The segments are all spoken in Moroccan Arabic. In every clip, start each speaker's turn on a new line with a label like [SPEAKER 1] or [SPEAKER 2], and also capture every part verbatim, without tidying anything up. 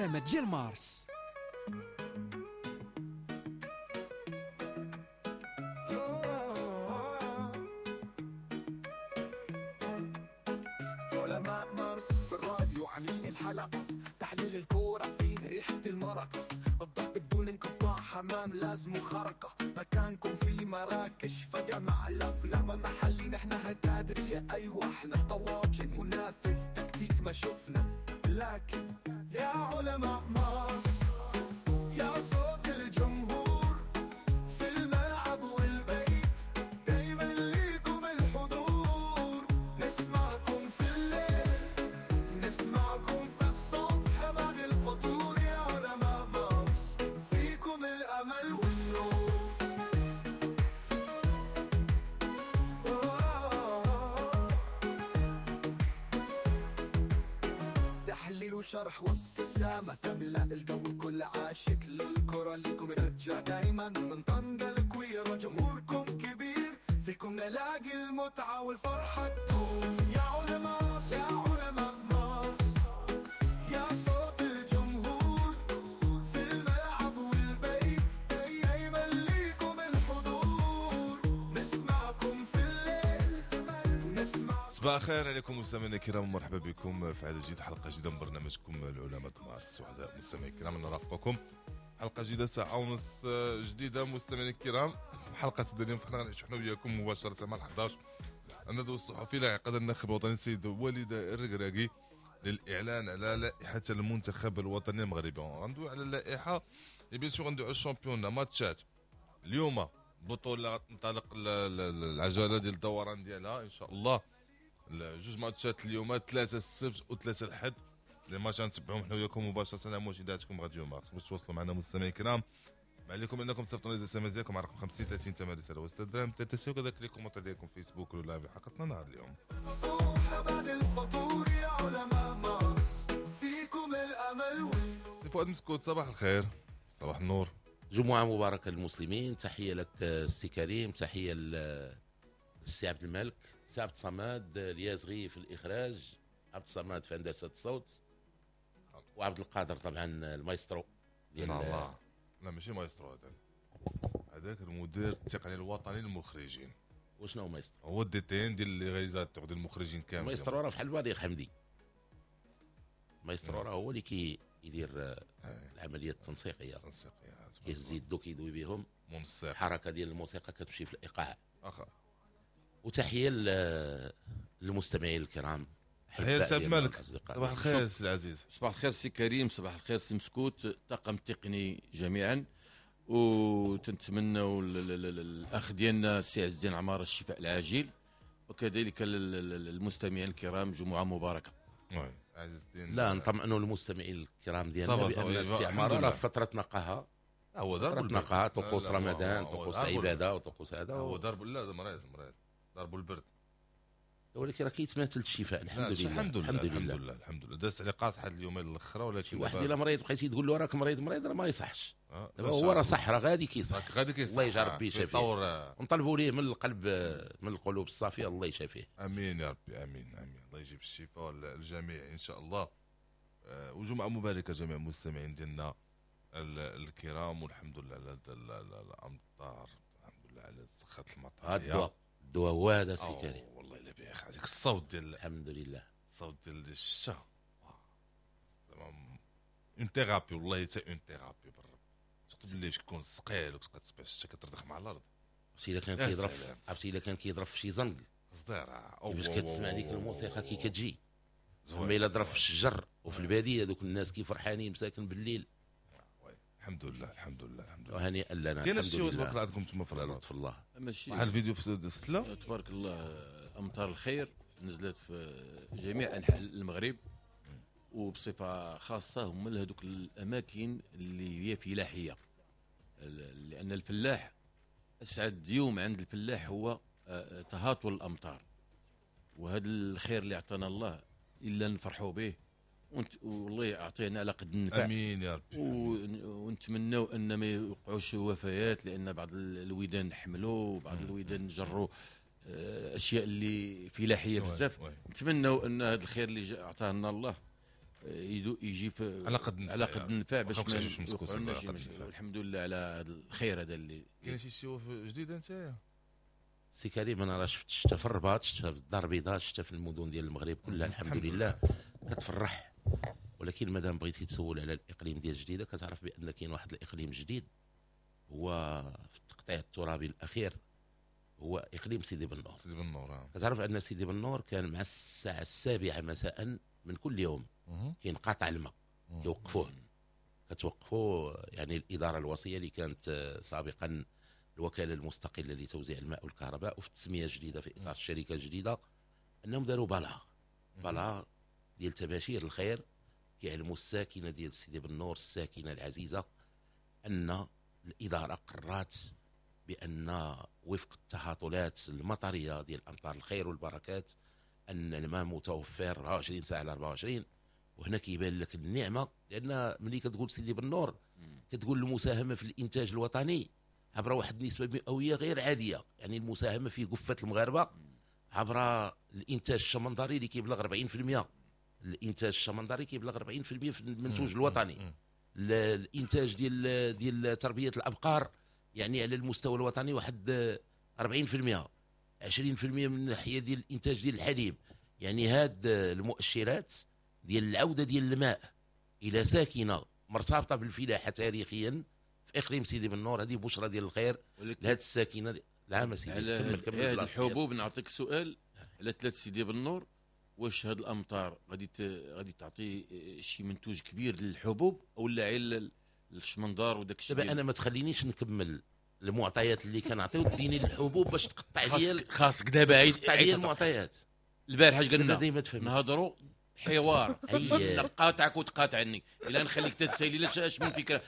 [SPEAKER 1] العلامة ديال مارس.
[SPEAKER 2] علماء مارس في الراديو عاملين الحلقة، تحليل الكورة فيه ريحة المرقة، الضرب بدون انقطاع، حمام لازم خرقة، مكانكم في مراكش فجأة مع الأفلام محلي، نحنا هتادرية أيوة احنا طواجن منافذ تكتيك ما شفنا، لكن يا علماء مارس يا صوت الجمهور في الملعب والبيت، دايما ليكم الحضور، نسمعكم في الليل نسمعكم في الصبح بعد الفطور، يا علماء مارس فيكم الأمل والنور. تحليل وشرح وابتسامة تملأ الجو، كل عاشق للكرة ليكم رجع دايما من طنجة الكويرة، جمهوركم كبير فيكم نلاقي المتعة والفرحة تدوم، يا علماء يا علماء مارس يا صوت الجمهور في الملعب والبيت، دايما ليكم الحضور، نسمعكم في الليل نسمع.
[SPEAKER 3] صباح الخير عليكم مستمعينا الكرام، ومرحبا بكم في عدد جديد، حلقة جديدة من برنامجكم العلماء مارس. وحده مستمعينا الكرام نرافقكم حلقة جديدة، ساعة ونص جديدة مستمعينا الكرام. حلقة اليوم فحنا غنعيشوا حنا وياكم مباشرة مع الحادية عشرة الندوة الصحفي لعقد الناخب الوطني السيد وليد الركراكي للاعلان على لائحة المنتخب الوطني المغربي. غندوي على اللائحة bien sûr، غندوي على ال championnat، ماتشات اليوم، بطوله غتنطلق العجلة ديال الدوران ديالها ان شاء الله. جوج ماتشات اليوم، ثلاثة السبت وثلاثة الحد، les matchs غنتبعوهم حنا وياكم مباشرة على موجوداتكم راديو مارس. باش توصلوا معنا مستمعين الكرام، ما عليكم انكم تصيفطوا لي SMS ديالكم على رقم خمسين ثلاثين ثمانية رسالة وستة دراهم ثلاثة، وكذلك les commentaires ديالكم فيسبوك ولا live حلقتنا نهار اليوم.
[SPEAKER 2] الصبح بعد الفطور يا علماء مارس فيكم الامل.
[SPEAKER 3] فؤاد مسكوت، صباح الخير. صباح النور.
[SPEAKER 4] جمعه مباركة للمسلمين. تحية لك السي كريم، تحية للسي عبد الملك، سي عبد الصمد اليازغي في الاخراج، عبد الصمد في هندسة الصوت، وعبد القادر طبعا المايسترو ديال
[SPEAKER 3] لا لا ماشي مايسترو، هذاك هذاك المدير التقني الوطني للمخرجين.
[SPEAKER 4] وشنو هو مايسترو؟
[SPEAKER 3] هو ال DTN ديال les réalisateurs ديال المخرجين كامل.
[SPEAKER 4] المايسترو راه بحال بليغ حمدي، المايسترو راه هو اللي كيدير العملية التنسيقيه،
[SPEAKER 3] التنسيقيه
[SPEAKER 4] كيهز يدو كيدوي بهم،
[SPEAKER 3] منسق،
[SPEAKER 4] الحركة ديال الموسيقى كتمشي في الايقاع.
[SPEAKER 3] اخا
[SPEAKER 4] وتحية للمستمعين الكرام.
[SPEAKER 3] تحية لسي عبد الملك. صباح الخير سي العزيز.
[SPEAKER 5] صباح الخير سي كريم، صباح الخير سي مسكوت، الطاقم التقني جميعا، وتنتمنوا الاخ ديالنا السي عز الدين عمارة الشفاء العاجل، وكذلك المستمعين الكرام جمعه مباركة.
[SPEAKER 3] oui عز الدين،
[SPEAKER 4] لا نطمئنوا المستمعين الكرام ديالنا بان السي عمارة راه فترة نقاهه،
[SPEAKER 3] هو ضرب
[SPEAKER 4] نقاهه، طقوس رمضان، طقوس العبادة، وطقوس هذا،
[SPEAKER 3] هو ضرب لا مريض مريض ضربوا البرد،
[SPEAKER 4] ولكن راه كيتماثل الشفاء الحمد لله.
[SPEAKER 3] الحمد لله الحمد لله الحمد لله. دازت عليه قاصحة اليومين الاخرى، ولكن
[SPEAKER 4] واحد الا مريض بقيتي تقول له راك مريض مريض راه ما يصحش. دابا هو راه صح، راه غادي كيصح،
[SPEAKER 3] غادي كيصح،
[SPEAKER 4] الله يجعل ربي يشافيه، ونطلبوا ليه من القلب من القلوب الصافية الله يشافيه.
[SPEAKER 3] امين يا ربي، امين امين، الله يجيب الشفاء للجميع ان شاء الله. وجمعه مباركة جميع المستمعين ديالنا الكرام، والحمد لله على الامطار، الحمد لله على سخات المطر.
[SPEAKER 4] الدواء الدواء هو هذا سي كريم،
[SPEAKER 3] والله الا بخير هذاك الصوت ديال
[SPEAKER 4] الحمد لله،
[SPEAKER 3] الصوت ديال الشتا زعما une thérapie، والله حتى une thérapie بالرب. surtout بالليل كيكون ثقيل وكتبقى تسبع الشتا كتردخ مع الارض.
[SPEAKER 4] عرفتي الا كان كيضرب، عرفتي الا كان كيضرب في شي زنق
[SPEAKER 3] صديره
[SPEAKER 4] كيفاش كتسمع ديك الموسيقى كي كتجي. اما الا ضرب في الشجر وفي البادية دوك الناس كي فرحانين مساكن بالليل.
[SPEAKER 3] الحمد لله الحمد لله الحمد لله،
[SPEAKER 4] وهنيئا لنا.
[SPEAKER 3] كاين شي تبارك الله عندكم تما في الرباط
[SPEAKER 4] في الله،
[SPEAKER 5] ماشي
[SPEAKER 3] واحد الفيديو في السلة
[SPEAKER 5] تبارك الله، امطار الخير نزلت في جميع انحاء المغرب، وبصفه خاصة هما هذوك الاماكن اللي هي فلاحية، لان الفلاح اسعد يوم عند الفلاح هو تهاطل الامطار، وهذا الخير اللي عطانا الله الا نفرحوا به، والله يعطينا على قد النفع.
[SPEAKER 3] امين يا ربي.
[SPEAKER 5] ونتمناو ان ما يوقعوش وفيات، لان بعض الويدان حملوا وبعض الويدان جروا اشياء اللي فلاحية بزاف. نتمناو ان هذا الخير اللي عطاه لنا الله يجي في
[SPEAKER 3] على قد
[SPEAKER 5] على قد النفع باش
[SPEAKER 3] ما
[SPEAKER 5] الحمد لله على هذا الخير هذا اللي
[SPEAKER 3] كاين. شي شي جديدة انت
[SPEAKER 4] سي كريم؟ انا راه شفت الشتا في الرباط، شتا في الدار البيضاء، شتا في المدن ديال المغرب كلها الحمد لله كتفرح. ولكن مادام بغيتي تسول على الاقليم ديال الجديدة كتعرف بان كاين واحد الاقليم جديد هو في التقطيع الترابي الاخير، هو اقليم سيدي بنور.
[SPEAKER 3] سيدي بنور
[SPEAKER 4] كتعرف ان سيدي بنور كان مع الساعة السابعة مساء من كل يوم كينقطع الماء، كيوقفوه، كتوقفوه يعني الادارة الوصية اللي كانت سابقا الوكالة المستقلة لتوزيع الماء والكهرباء، وفي التسمية الجديدة في اطار الشركة الجديدة انهم داروا بلاغ بلاغ ديال تباشير الخير كيعلموا الساكنة ديال سيدي بنور الساكنة العزيزة ان الادارة قررت بان وفق التهاطلات المطريه ديال امطار الخير والبركات ان الماء متوفر أربعة وعشرين ساعة على أربعة وعشرين. وهنا كيبان لك النعمة، لان ملي كتقول سيدي بنور كتقول المساهمة في الانتاج الوطني عبر واحد النسبة مئوية غير عادية، يعني المساهمة في قفة المغاربة عبر الانتاج الشمندري اللي كيبلغ أربعين بالمئة. الانتاج الشمندري كيبلغ أربعين بالمئة في المنتوج الوطني. الانتاج ديال ديال تربيه الابقار يعني على المستوى الوطني واحد أربعين بالمئة، عشرين بالمئة من الناحية ديال الانتاج ديال الحليب. يعني هاد المؤشرات ديال العودة ديال الماء الى ساكنة مرتبطة بالفلاحه تاريخيا في اقليم سيدي بنور، هذه بشرى ديال الخير لهاد الساكنة. لا ما سيدي كمل كمل
[SPEAKER 5] هاد الحبوب. نعطيك سؤال على ثلاث سيدي بنور، واش هاد الامطار غادي غادي تعطي شي منتوج كبير للحبوب او لا غير الشمندار وداك الشيء؟
[SPEAKER 4] دابا انا ما تخلينيش نكمل المعطيات اللي كنعطيو ديني للحبوب باش تقطع لي
[SPEAKER 5] خاصك دابا عيد
[SPEAKER 4] عيد المعطيات.
[SPEAKER 5] البارح اش قلنا؟ نهضروا حوار نقاطعك وتقاطعني الا نخليك تتسالي لا اش من فكرة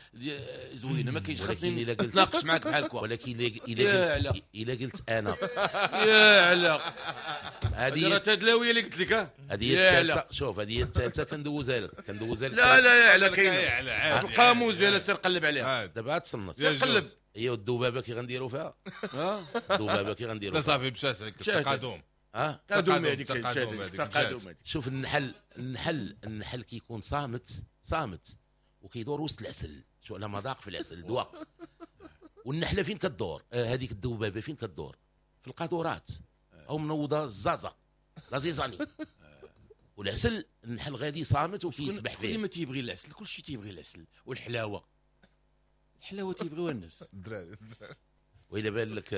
[SPEAKER 5] زوينة ما كاينش، خاصني نتناقش معاك بحال هكا.
[SPEAKER 4] ولكن الا قلت الا قلت انا
[SPEAKER 5] يا علا هذه راه تدلاويه اللي قلت لك،
[SPEAKER 4] هذه هي الثالثة. شوف هذه هي الثالثة كندوزها لك كندوزها لك.
[SPEAKER 5] لا لا يا علا كاينه القاموس ديالها سير قلب عليها
[SPEAKER 4] دابا تصنت
[SPEAKER 5] قلب.
[SPEAKER 4] هي والذبابه كي غنديروا فيها، الذبابة كي غنديروا
[SPEAKER 3] لا صافي مشات عليك التقادم.
[SPEAKER 4] اه
[SPEAKER 5] تقادم هذيك تقادم.
[SPEAKER 4] شوف النحل النحل النحل كيكون صامت صامت وكيدور وسط العسل، شو على مذاق في العسل دواء. والنحله فين كدور؟ آه هذيك الذبابة فين كدور؟ في القاذورات او منوضه الزازه la zizanie. والعسل النحل غادي صامت وكيسبح فيه.
[SPEAKER 5] شكون ما تيبغي العسل؟ كلشي تيبغي العسل والحلاوه، الحلاوة تيبغيوها الناس
[SPEAKER 3] الدراري.
[SPEAKER 4] وإلا بان لك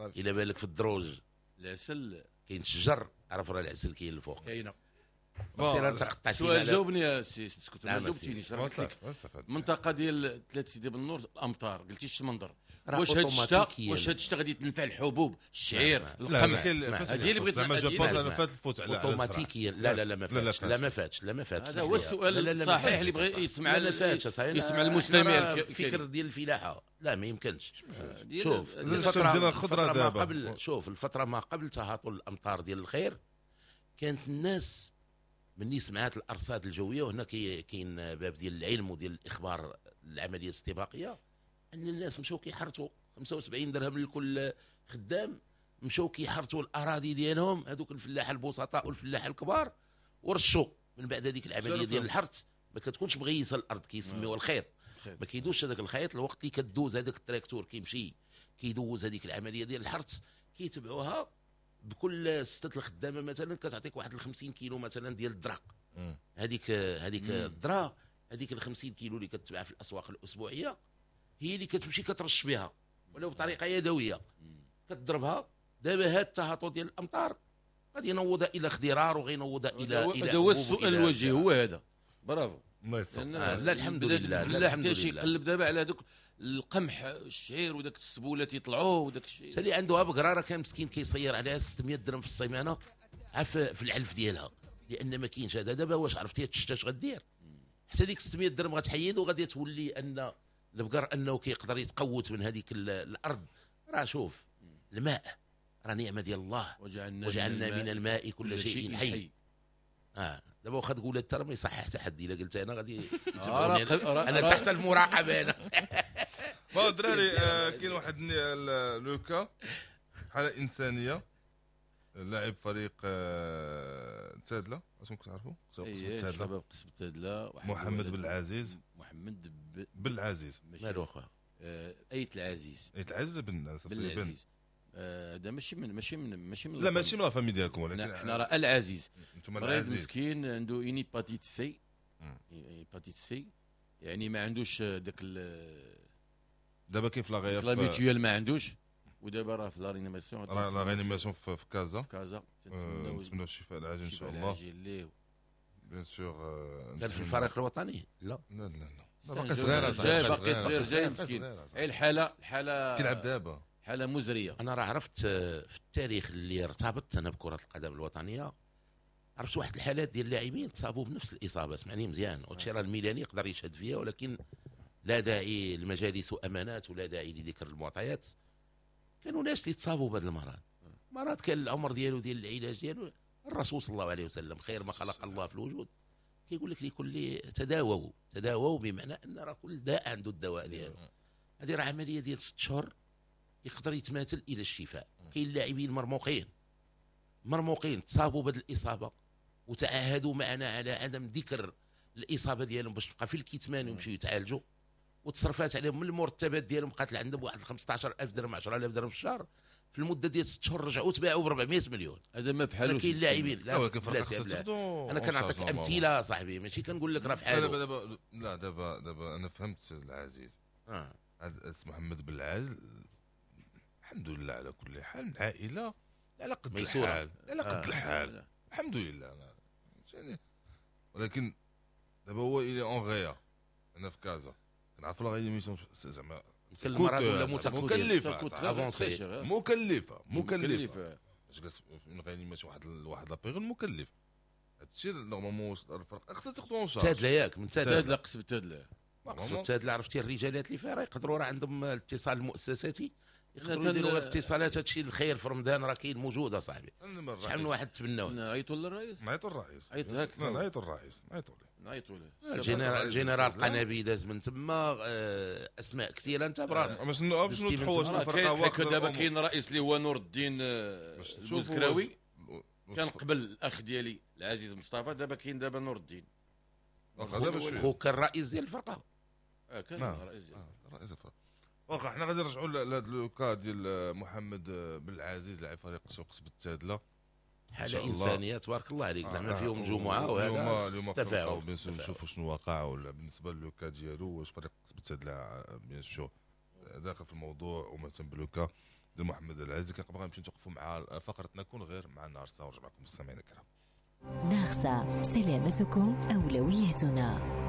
[SPEAKER 4] إلا بان لك في الدروج
[SPEAKER 5] العسل
[SPEAKER 4] كاين شجر، عرف راه العسل كاين الفوق
[SPEAKER 5] كاينه.
[SPEAKER 4] سير انت قطعتينا.
[SPEAKER 5] سؤال جاوبني يا سي سكوت، ما جاوبتينيش. راه قلت لك المنطقة ديال ثلاث سيدي بالنور الامطار، قلتي الشمندر، واش هاد الشتاء واش هاد الشتاء غادي تنفع الحبوب الشعير القمح؟ هذه اللي بغيت
[SPEAKER 3] زعما je pense انا فات الفوت على
[SPEAKER 4] اوتوماتيكيا. لا لا لا ما فاتش، لا ما فاتش، لا ما فاتش.
[SPEAKER 5] هذا هو السؤال الصحيح اللي بغى يسمع يسمع المستمع.
[SPEAKER 4] الفكر ديال الفلاحة لا ما يمكنش. شوف
[SPEAKER 3] الفترة
[SPEAKER 4] الفترة ما قبل، شوف الفترة ما قبل تهاطل الامطار ديال الخير كانت الناس مني سمعات الارصاد الجوية، وهنا كاين باب ديال العلم وديال الاخبار العملية الاستباقيه، ان الناس مشاو كيحرثوا خمسة وسبعين درهم لكل خدام، مشاو كيحرثوا الاراضي ديالهم هذوك الفلاحة البسطاء والفلاحه الكبار، ورشوا من بعد هذيك العملية ديال الحرث ما كتكونش مغيصه الارض، كيسميوها الخيط، ما كيدوزش هذاك الخيط الوقت اللي كدوز هذاك التراكتور كيمشي كيدوز هذيك العملية ديال الحرث، كيتبعوها بكل ستة الخدامة مثلا كتعطيك واحد خمسين كيلو مثلا ديال الدرق، هذيك هذيك الذرة هذيك ال خمسين كيلو اللي كتباع في الاسواق الاسبوعية هي اللي كتمشي كترش بها ولو بطريقة يدوية كتضربها. دابا هاد التهاطل ديال الامطار غادي ينوضها الى خضرار وغينوضها الى الى
[SPEAKER 5] هذا هو السؤال الوجيه هو هذا. برافو
[SPEAKER 3] الله يستر.
[SPEAKER 4] آه لا الحمد لله.
[SPEAKER 5] لا حتى شي يقلب دابا على دوك القمح الشعير وداك السبوله تيطلعوا وداك الشيء.
[SPEAKER 4] اللي عنده بقرة راه كان مسكين كيصير عليها ستمية درهم في السيمانة عف في العلف ديالها، لان ما كاينش هذا. دابا واش عرفتي الشتا اش غدير؟ حتى ديك ستمية درهم غتحيد وغادي تولي ان البقر انه كيقدر يتقوت من هذيك الارض. راه شوف الماء راه نعمه ديال الله،
[SPEAKER 5] وجعلنا,
[SPEAKER 4] وجعلنا من الماء كل شيء حي, حي. اه دابا واخا تقول انت راه ما يصحح حتى حد، الا قلت انا غادي يتبعوني انا, أنا تحت المراقبة انا.
[SPEAKER 3] bon الدراري كاين واحد le cas حاله انسانيه لاعب فريق تادله، اش كتعرفوا؟
[SPEAKER 5] قصبة شباب قصبة تادله،
[SPEAKER 3] محمد بن العزيز.
[SPEAKER 5] محمد ب...
[SPEAKER 3] بن العزيز
[SPEAKER 4] مالو اخويا؟
[SPEAKER 5] ايت العزيز.
[SPEAKER 3] ايت العزيز ولا بن
[SPEAKER 5] العزيز؟ هذا ماشي من ماشي من ماشي من
[SPEAKER 3] لا ماشي من la famille ديالكم، ولكن
[SPEAKER 5] حنا راه العزيز.
[SPEAKER 3] انتم العزيز
[SPEAKER 5] مسكين عنده une hépatite C، hépatite C يعني ما عندوش داك
[SPEAKER 3] دابا كيف la réa
[SPEAKER 5] la mutuelle ما عندوش، ودابا راه في la réanimation،
[SPEAKER 3] راه la réanimation في كازا.
[SPEAKER 5] في كازا
[SPEAKER 3] نتمنوا الشفاء العاجل ان شاء الله. bien sûr
[SPEAKER 4] كان في الفريق الوطني؟ لا
[SPEAKER 3] لا لا لا باقي صغير،
[SPEAKER 5] جاي باقي صغير، جاي مسكين. اي الحالة الحالة
[SPEAKER 3] كيلعب دابا
[SPEAKER 5] حاله مزرية.
[SPEAKER 4] انا راه عرفت في التاريخ اللي ارتبطت انا بكره القدم الوطنية، عرفت واحد الحالات ديال اللاعبين تصابوا بنفس الاصابة، اسمعني مزيان، وهادشي راه الميلاني يقدر يشهد فيها، ولكن لا داعي لمجالس وامانات ولا داعي لذكر المعطيات. كانوا ناس اللي تصابوا بهذا المرض، مرض كان العمر ديالو ديال العلاج ديالو الرسول صلى الله عليه وسلم خير ما خلق الله في الوجود، كيقول لك لكل تداووا، تداووا بمعنى ان راه كل داء عنده الدواء ديالو. هذه راه عملية ديال ست شهور يقدر يتماثل الى الشفاء. كاين لاعبين مرموقين مرموقين تصابوا بهذه الاصابة وتعاهدوا معنا على عدم ذكر الاصابة ديالهم باش تبقى في الكتمان ويمشيو يتعالجوا، وتصرفات عليهم من المرتبات ديالهم بقات عندهم واحد خمسطاش ألف درهم عشرة آلاف درهم في الشهر، في المدة ديال ست شهور رجعوا تباعوا ب أربعمية مليون.
[SPEAKER 5] هذا ما بحالوش.
[SPEAKER 4] كاين لاعبين لا لا انا كنعطيك امثلة صاحبي، ماشي كنقول لك راه في حاله.
[SPEAKER 3] دابا دابا لا دابا دابا انا فهمت العزيز.
[SPEAKER 4] اه
[SPEAKER 3] هذا محمد بن العزيز الحمد لله على كل حال، عائلة على قد الحال، على قد الحال الحمد لله يعني. ولكن دابا هو il est en réa انا في كازا كنعرف la réanimation زعما
[SPEAKER 4] المرض ولا
[SPEAKER 3] مكلفة avancée، مكلفة مكلفة باش جالس في réanimation واحد واحد la période مكلف. هادشي normalement الفرق خصها تاخذ en charge.
[SPEAKER 4] تادله ياك من
[SPEAKER 5] تادله قصب تادله
[SPEAKER 4] قصب تادله، عرفتي الرجالات اللي فيها راه يقدروا راه عندهم الاتصال المؤسساتي، يقدروا يديروا اتصالات. هادشي الخير في رمضان راه كاين موجود اصاحبي، شحال من واحد تبناوه.
[SPEAKER 5] نعيطوا للرئيس،
[SPEAKER 3] نعيطوا للرئيس،
[SPEAKER 5] عيط هاك،
[SPEAKER 3] نعيطوا للرئيس، نعيطوا له،
[SPEAKER 5] نعيطوا له.
[SPEAKER 4] الجنرال الجنرال قنابي داز من تما، اسماء كثيرة انت براسك.
[SPEAKER 3] باش باش نتحوش الفرقة
[SPEAKER 5] واقفة. دابا كاين رئيس اللي هو نور الدين البوزكراوي، كان قبل الاخ ديالي العزيز مصطفى، دابا كاين دابا نور الدين.
[SPEAKER 4] خو كان رئيس ديال الفرقة.
[SPEAKER 5] اه كان رئيس ديال
[SPEAKER 3] رئيس الفرقة. واخا حنا غادي نرجعوا لهذا le cas ديال محمد بن العزيز لاعب فريق سوق قصبة التادله.
[SPEAKER 4] حاله انسانيه تبارك الله عليك، زعما فيهم جمعه وهذا
[SPEAKER 3] التفاعل، bien sûr نشوفوا شنو وقع ولا بالنسبة le cas ديالو، واش فريق قصبة التادله bien sûr داخل في الموضوع ومهتم ب le cas ديال محمد العزيز. كنبغي نمشي نتوقفوا مع فقرتنا كون غير مع نارسا، ونرجع معكم مستمعينا الكرام.
[SPEAKER 1] نارسا، سلامتكم اولويتنا.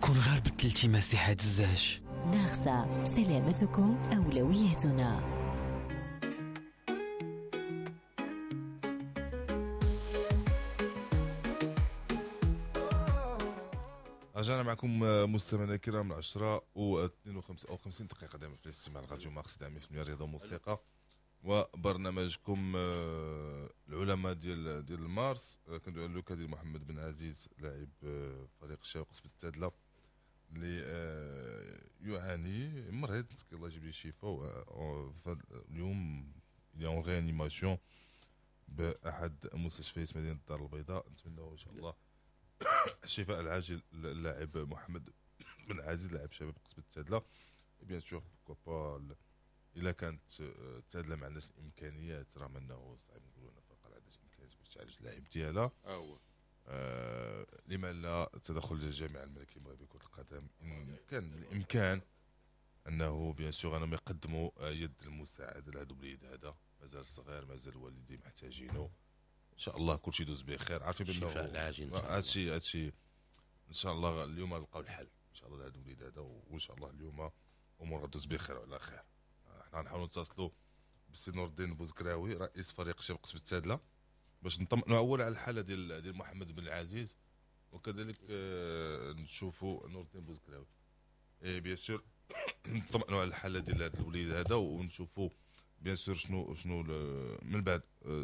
[SPEAKER 6] كون غير بدلتي مساحة الزاج.
[SPEAKER 1] نارسا، سلامتكم أولويتنا.
[SPEAKER 3] رجعنا معكم مستمعينا الكرام العشرة و اثنين وخمسين دقيقة دائما في الاستماع لراديو مارس دائما في الرياضة والموسيقى وبرنامجكم العلماء ديال ديال مارس. كندوي على le cas ديال محمد بن عزيز لاعب فريق الشباب قصبة التادلة اللي يعاني مريض، مسكين الله يجيب ليه الشفاء. اليوم il est en réanimation باحد مستشفيات مدينة الدار البيضاء. نتمنى ان شاء الله الشفاء العاجل للاعب محمد بن عزيز لاعب شباب قصبة التادلة. bien sûr pourquoi pas الا كانت التادلة ما عندهاش الامكانيات، راه انه صعيب نقولوا ان الفرقة ما عندهاش الامكانيات باش تعالج اللاعب ديالها.
[SPEAKER 5] اه
[SPEAKER 3] آه لما لا التدخل ديال الجامعة الملكية المغربية لكرة القدم ان كان بالامكان انه bien sûr انهم يقدموا يد المساعدة لهذا الوليد هذا، مازال صغير، مازال والديه محتاجينه. ان شاء الله كلشي يدوز بخير. عارفين بانه
[SPEAKER 4] الشفاء العاجل
[SPEAKER 3] هادشي هادشي ان شاء الله اليوم نلقاو الحل ان شاء الله لهذا الوليد هذا، وان شاء الله اليوم امور غدوز بخير وعلى خير. حنا نحاولوا نتصلوا بالسي نور الدين بوزكراوي رئيس فريق شباب قصبة التادلة باش نطمئنوا اول على الحالة ديال ديال محمد بن العزيز، وكذلك نشوفوا نور الدين بوزكراوي et bien sûr نطمئنوا على الحالة ديال هذا الوليد هذا، ونشوفوا bien sûr شنو شنو من بعد،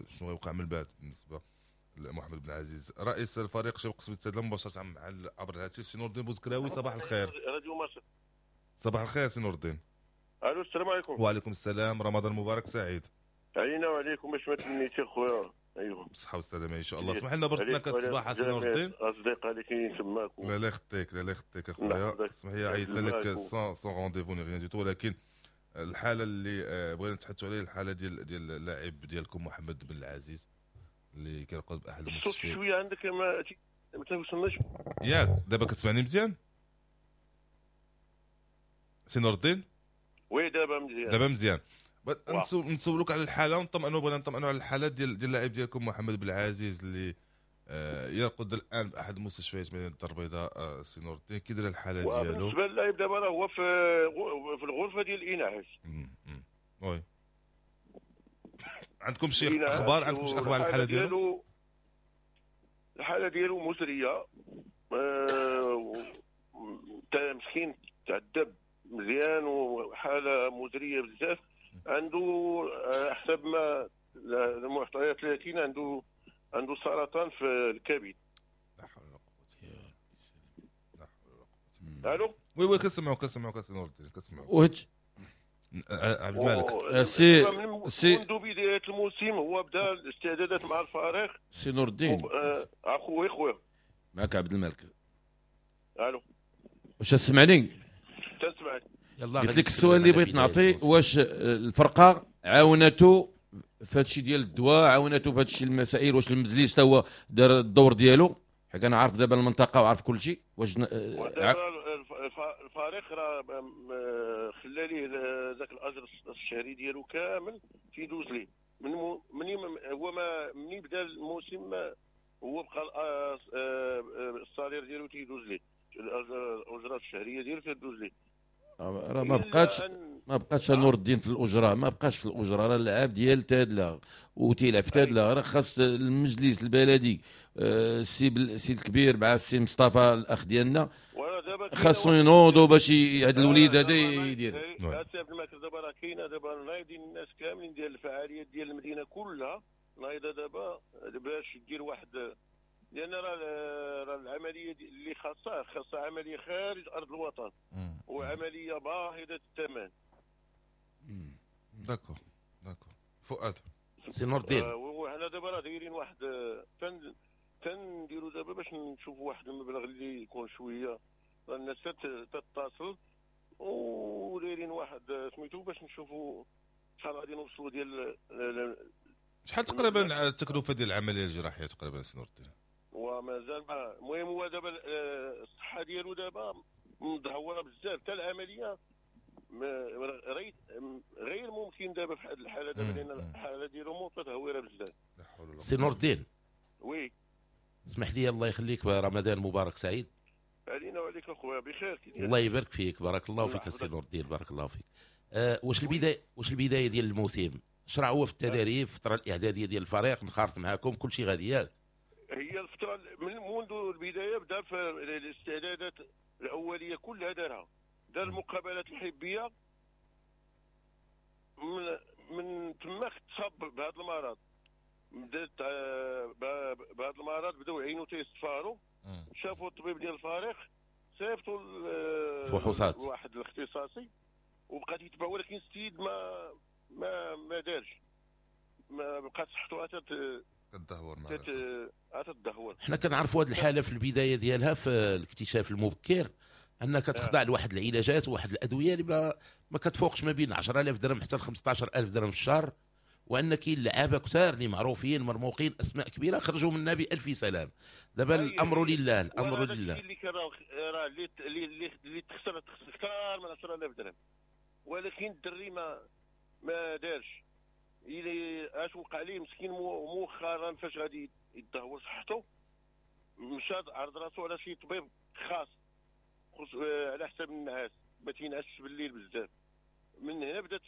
[SPEAKER 3] شنو غيوقع من بعد بالنسبة محمد بن عزيز. رئيس الفريق شباب قصبة تادلة مباشرة مع عبر الهاتف سي نور الدين بوزكراوي، صباح الخير.
[SPEAKER 7] راديو مصر.
[SPEAKER 3] صباح الخير سي نور الدين.
[SPEAKER 7] الو السلام عليكم.
[SPEAKER 3] وعليكم السلام، رمضان مبارك سعيد.
[SPEAKER 7] علينا وعليكم باش ما تمنيتي خويا. ايوا
[SPEAKER 3] بالصحة والسلامة ان شاء الله. اسمح لنا برزتنا الصباح سي نور الدين.
[SPEAKER 7] اصدقاء اللي كاينين تماك.
[SPEAKER 3] لا لا يخطيك، لا لا يخطيك اخويا، اسمح لي عيطنا لك sans sans rendez-vous ni rien du tout، ولكن الحالة اللي بغينا نتحدثوا عليها الحالة ديال ديال اللاعب ديالكم محمد بن العزيز اللي كيرقد باحد المستشفيات.
[SPEAKER 7] شوية عندك ما ما توصلناش
[SPEAKER 3] ياك؟ دابا كتسمعني مزيان سي نور الدين؟
[SPEAKER 7] oui دابا مزيان،
[SPEAKER 3] دابا مزيان. نسولوك على الحالة ونطمئنوا، بغينا نطمئنوا على الحالة ديال ديال اللاعب ديالكم محمد بن العزيز اللي آه يرقد الان باحد المستشفيات مدينة الدار البيضاء. آه سي نور الدين كي داير الحالة ديالو؟
[SPEAKER 7] بالنسبة للاعب دابا راه هو في في الغرفة ديال الانعاش.
[SPEAKER 3] oui عندكم شي اخبار؟ عندكم شي اخبار على الحالة ديالو؟
[SPEAKER 7] الحالة ديالو مزرية، آه مسكين تعذب مزيان وحاله مزرية بزاف. عنده حسب ما المعطيات اللي كاينه عنده عنده سرطان في الكبد.
[SPEAKER 3] لا حول ولا قوة لا حول ولا قوة.
[SPEAKER 7] الو
[SPEAKER 3] oui oui كنسمعوك كنسمعوك سي نور الدين كنسمعوك.
[SPEAKER 5] وهج
[SPEAKER 3] عبد الملك
[SPEAKER 5] سي سي
[SPEAKER 7] منذ بداية الموسم هو بدا الاستعدادات مع الفريق.
[SPEAKER 5] سي نور الدين
[SPEAKER 7] اخويا خويا
[SPEAKER 5] معك عبد الملك.
[SPEAKER 7] الو
[SPEAKER 5] واش تسمعني؟
[SPEAKER 7] تسمعك.
[SPEAKER 4] يلا
[SPEAKER 5] قلت لك السؤال اللي بغيت نعطي، واش الفرقة عاونته في هادشي ديال الدواء، عاونته في هادشي المسائل، واش المجلس حتى هو دار الدور ديالو؟ حيت انا عارف دابا المنطقة وعارف كل شيء. واش
[SPEAKER 7] الفريق راه خلى ليه ذاك الاجر الشهري ديالو كامل تيدوز ليه من من هو ما مني بدا الموسم هو بقى ال salaire ديالو تيدوز ليه، الاجرة الشهرية ديالو تدوز ليه.
[SPEAKER 5] راه ما بقاتش ما بقاتش نور الدين في الاجرة، ما بقاش في الاجرة، راه اللعاب ديال تادله وتيلعب في تادله، راه خاص المجلس البلدي السي السي الكبير مع السي مصطفى الاخ ديالنا خاصو ينوضوا باش هذا الوليد هذا يدير.
[SPEAKER 7] السي عبد الملك دابا راه كاينه دابا نايضين الناس كاملين ديال الفعاليات ديال المدينة كلها نايضه دابا باش دير واحد، لان راه العملية اللي خاصها خاصها عملية خارج ارض الوطن وعملية باهظه الثمن.
[SPEAKER 3] d'accord d'accord فؤاد
[SPEAKER 4] سي نور الدين
[SPEAKER 7] وحنا دابا راه دايرين واحد تن تنديروا دابا باش نشوفوا واحد المبلغ اللي يكون شوية، راه الناس تتصل ودايرين واحد سميتو باش نشوفوا شحال غادي نوصلوا ديال
[SPEAKER 3] شحال تقريبا التكلفة ديال العملية الجراحية تقريبا سي نور الدين؟
[SPEAKER 7] ومازال المهم هو دابا الصحة ديالو دابا مدهوره بزاف، حتى العملية غير ممكن دابا في هذه الحالة دابا، لان الحالة ديالو متدهوره بزاف.
[SPEAKER 4] سي نور الدين
[SPEAKER 7] oui
[SPEAKER 4] اسمح لي الله يخليك، رمضان مبارك سعيد.
[SPEAKER 7] علينا وعليك اخويا بخير.
[SPEAKER 4] الله يبارك فيك، بارك الله فيك السي نور الدين، بارك الله فيك. أه واش البداية واش البداية ديال الموسم شرع هو في التدريب، الفترة الاعدادية ديال الفريق نخارط معاكم كل شيء غادي ياك؟
[SPEAKER 7] هي الفترة من منذ البداية بدا في الاستعدادات الاولية كلها دارها، دار المقابلات الحبيه من من تما تصاب بهذا المرض، بدات بهذا المرض بداو عينو تيصفاروا، شافوا الطبيب ديال الفريق صيفطوا
[SPEAKER 4] فحوصات
[SPEAKER 7] واحد الاختصاصي وبقى تيتبع، ولكن السيد ما ما ما دارش، ما بقات صحته
[SPEAKER 3] كتدهور مع
[SPEAKER 7] تدهور.
[SPEAKER 4] حنا كنعرفوا هذه الحالة في البداية ديالها في الاكتشاف المبكر انك تخضع لواحد العلاجات وواحد الادوية اللي ما, ما كتفوقش ما بين عشرة آلاف درهم حتى ل خمسة عشر ألف درهم في الشهر، وان كاين لعابه كثار اللي معروفين مرموقين اسماء كبيرة خرجوا منا بالف سلام. دابا الامر لله، الامر لله.
[SPEAKER 7] اللي كان راه اللي اللي اللي تخسر تخسر اكثر من عشرة آلاف درهم، ولكن الدري ما ما دارش. الى اش وقع ليه مسكين مؤخرا فاش غادي يدهور صحته مشى عرض راسو على شي طبيب خاص على حساب النعاس، ما تينعسش بالليل بزاف. من هنا بدات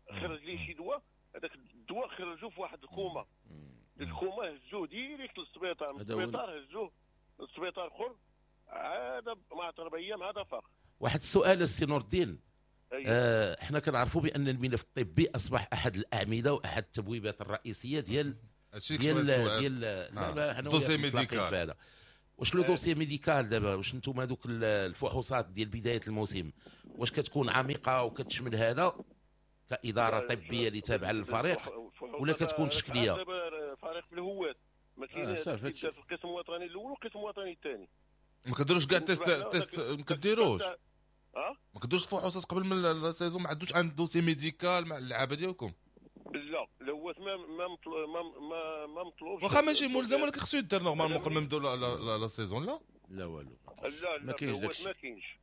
[SPEAKER 7] خرج ليه شي دواء، هذاك الدواء خرجوه في واحد الكومة، الكومة هزوه direct للسبيطار، من السبيطار هزوه للسبيطار اخر، عاد مع اربع ايام عاد فاق.
[SPEAKER 4] واحد السؤال السي نور الدين، آه، احنا كنعرفوا بان الملف الطبي اصبح احد الاعمدة واحد التبويبات الرئيسية ديال ديال ديال لا حنا dossier médical هذا. واش le dossier médical دابا، واش نتوما هذوك الفحوصات ديال بداية الموسم واش كتكون عميقة وكتشمل هذا كادارة طبية اللي تابعه للفريق ولا كتكون تشكيليه؟
[SPEAKER 7] فريق بالهوات ما كاينش في القسم الوطني الاول والقسم الوطني الثاني.
[SPEAKER 3] ما كديروش كاع test test ما كديروش اه ما كديروش فحوصات قبل من la saison؟ ما عندوش un dossier médical مع اللعابه ديالكم؟
[SPEAKER 7] لا الهوات ما ما ما ما مطلوبش،
[SPEAKER 3] واخا ماشي ملزم ولكن خصو يدير normalement قبل ما نبداو la saison. لا
[SPEAKER 5] لا والو،
[SPEAKER 7] لا ما كاينش داكشي، ما كاينش.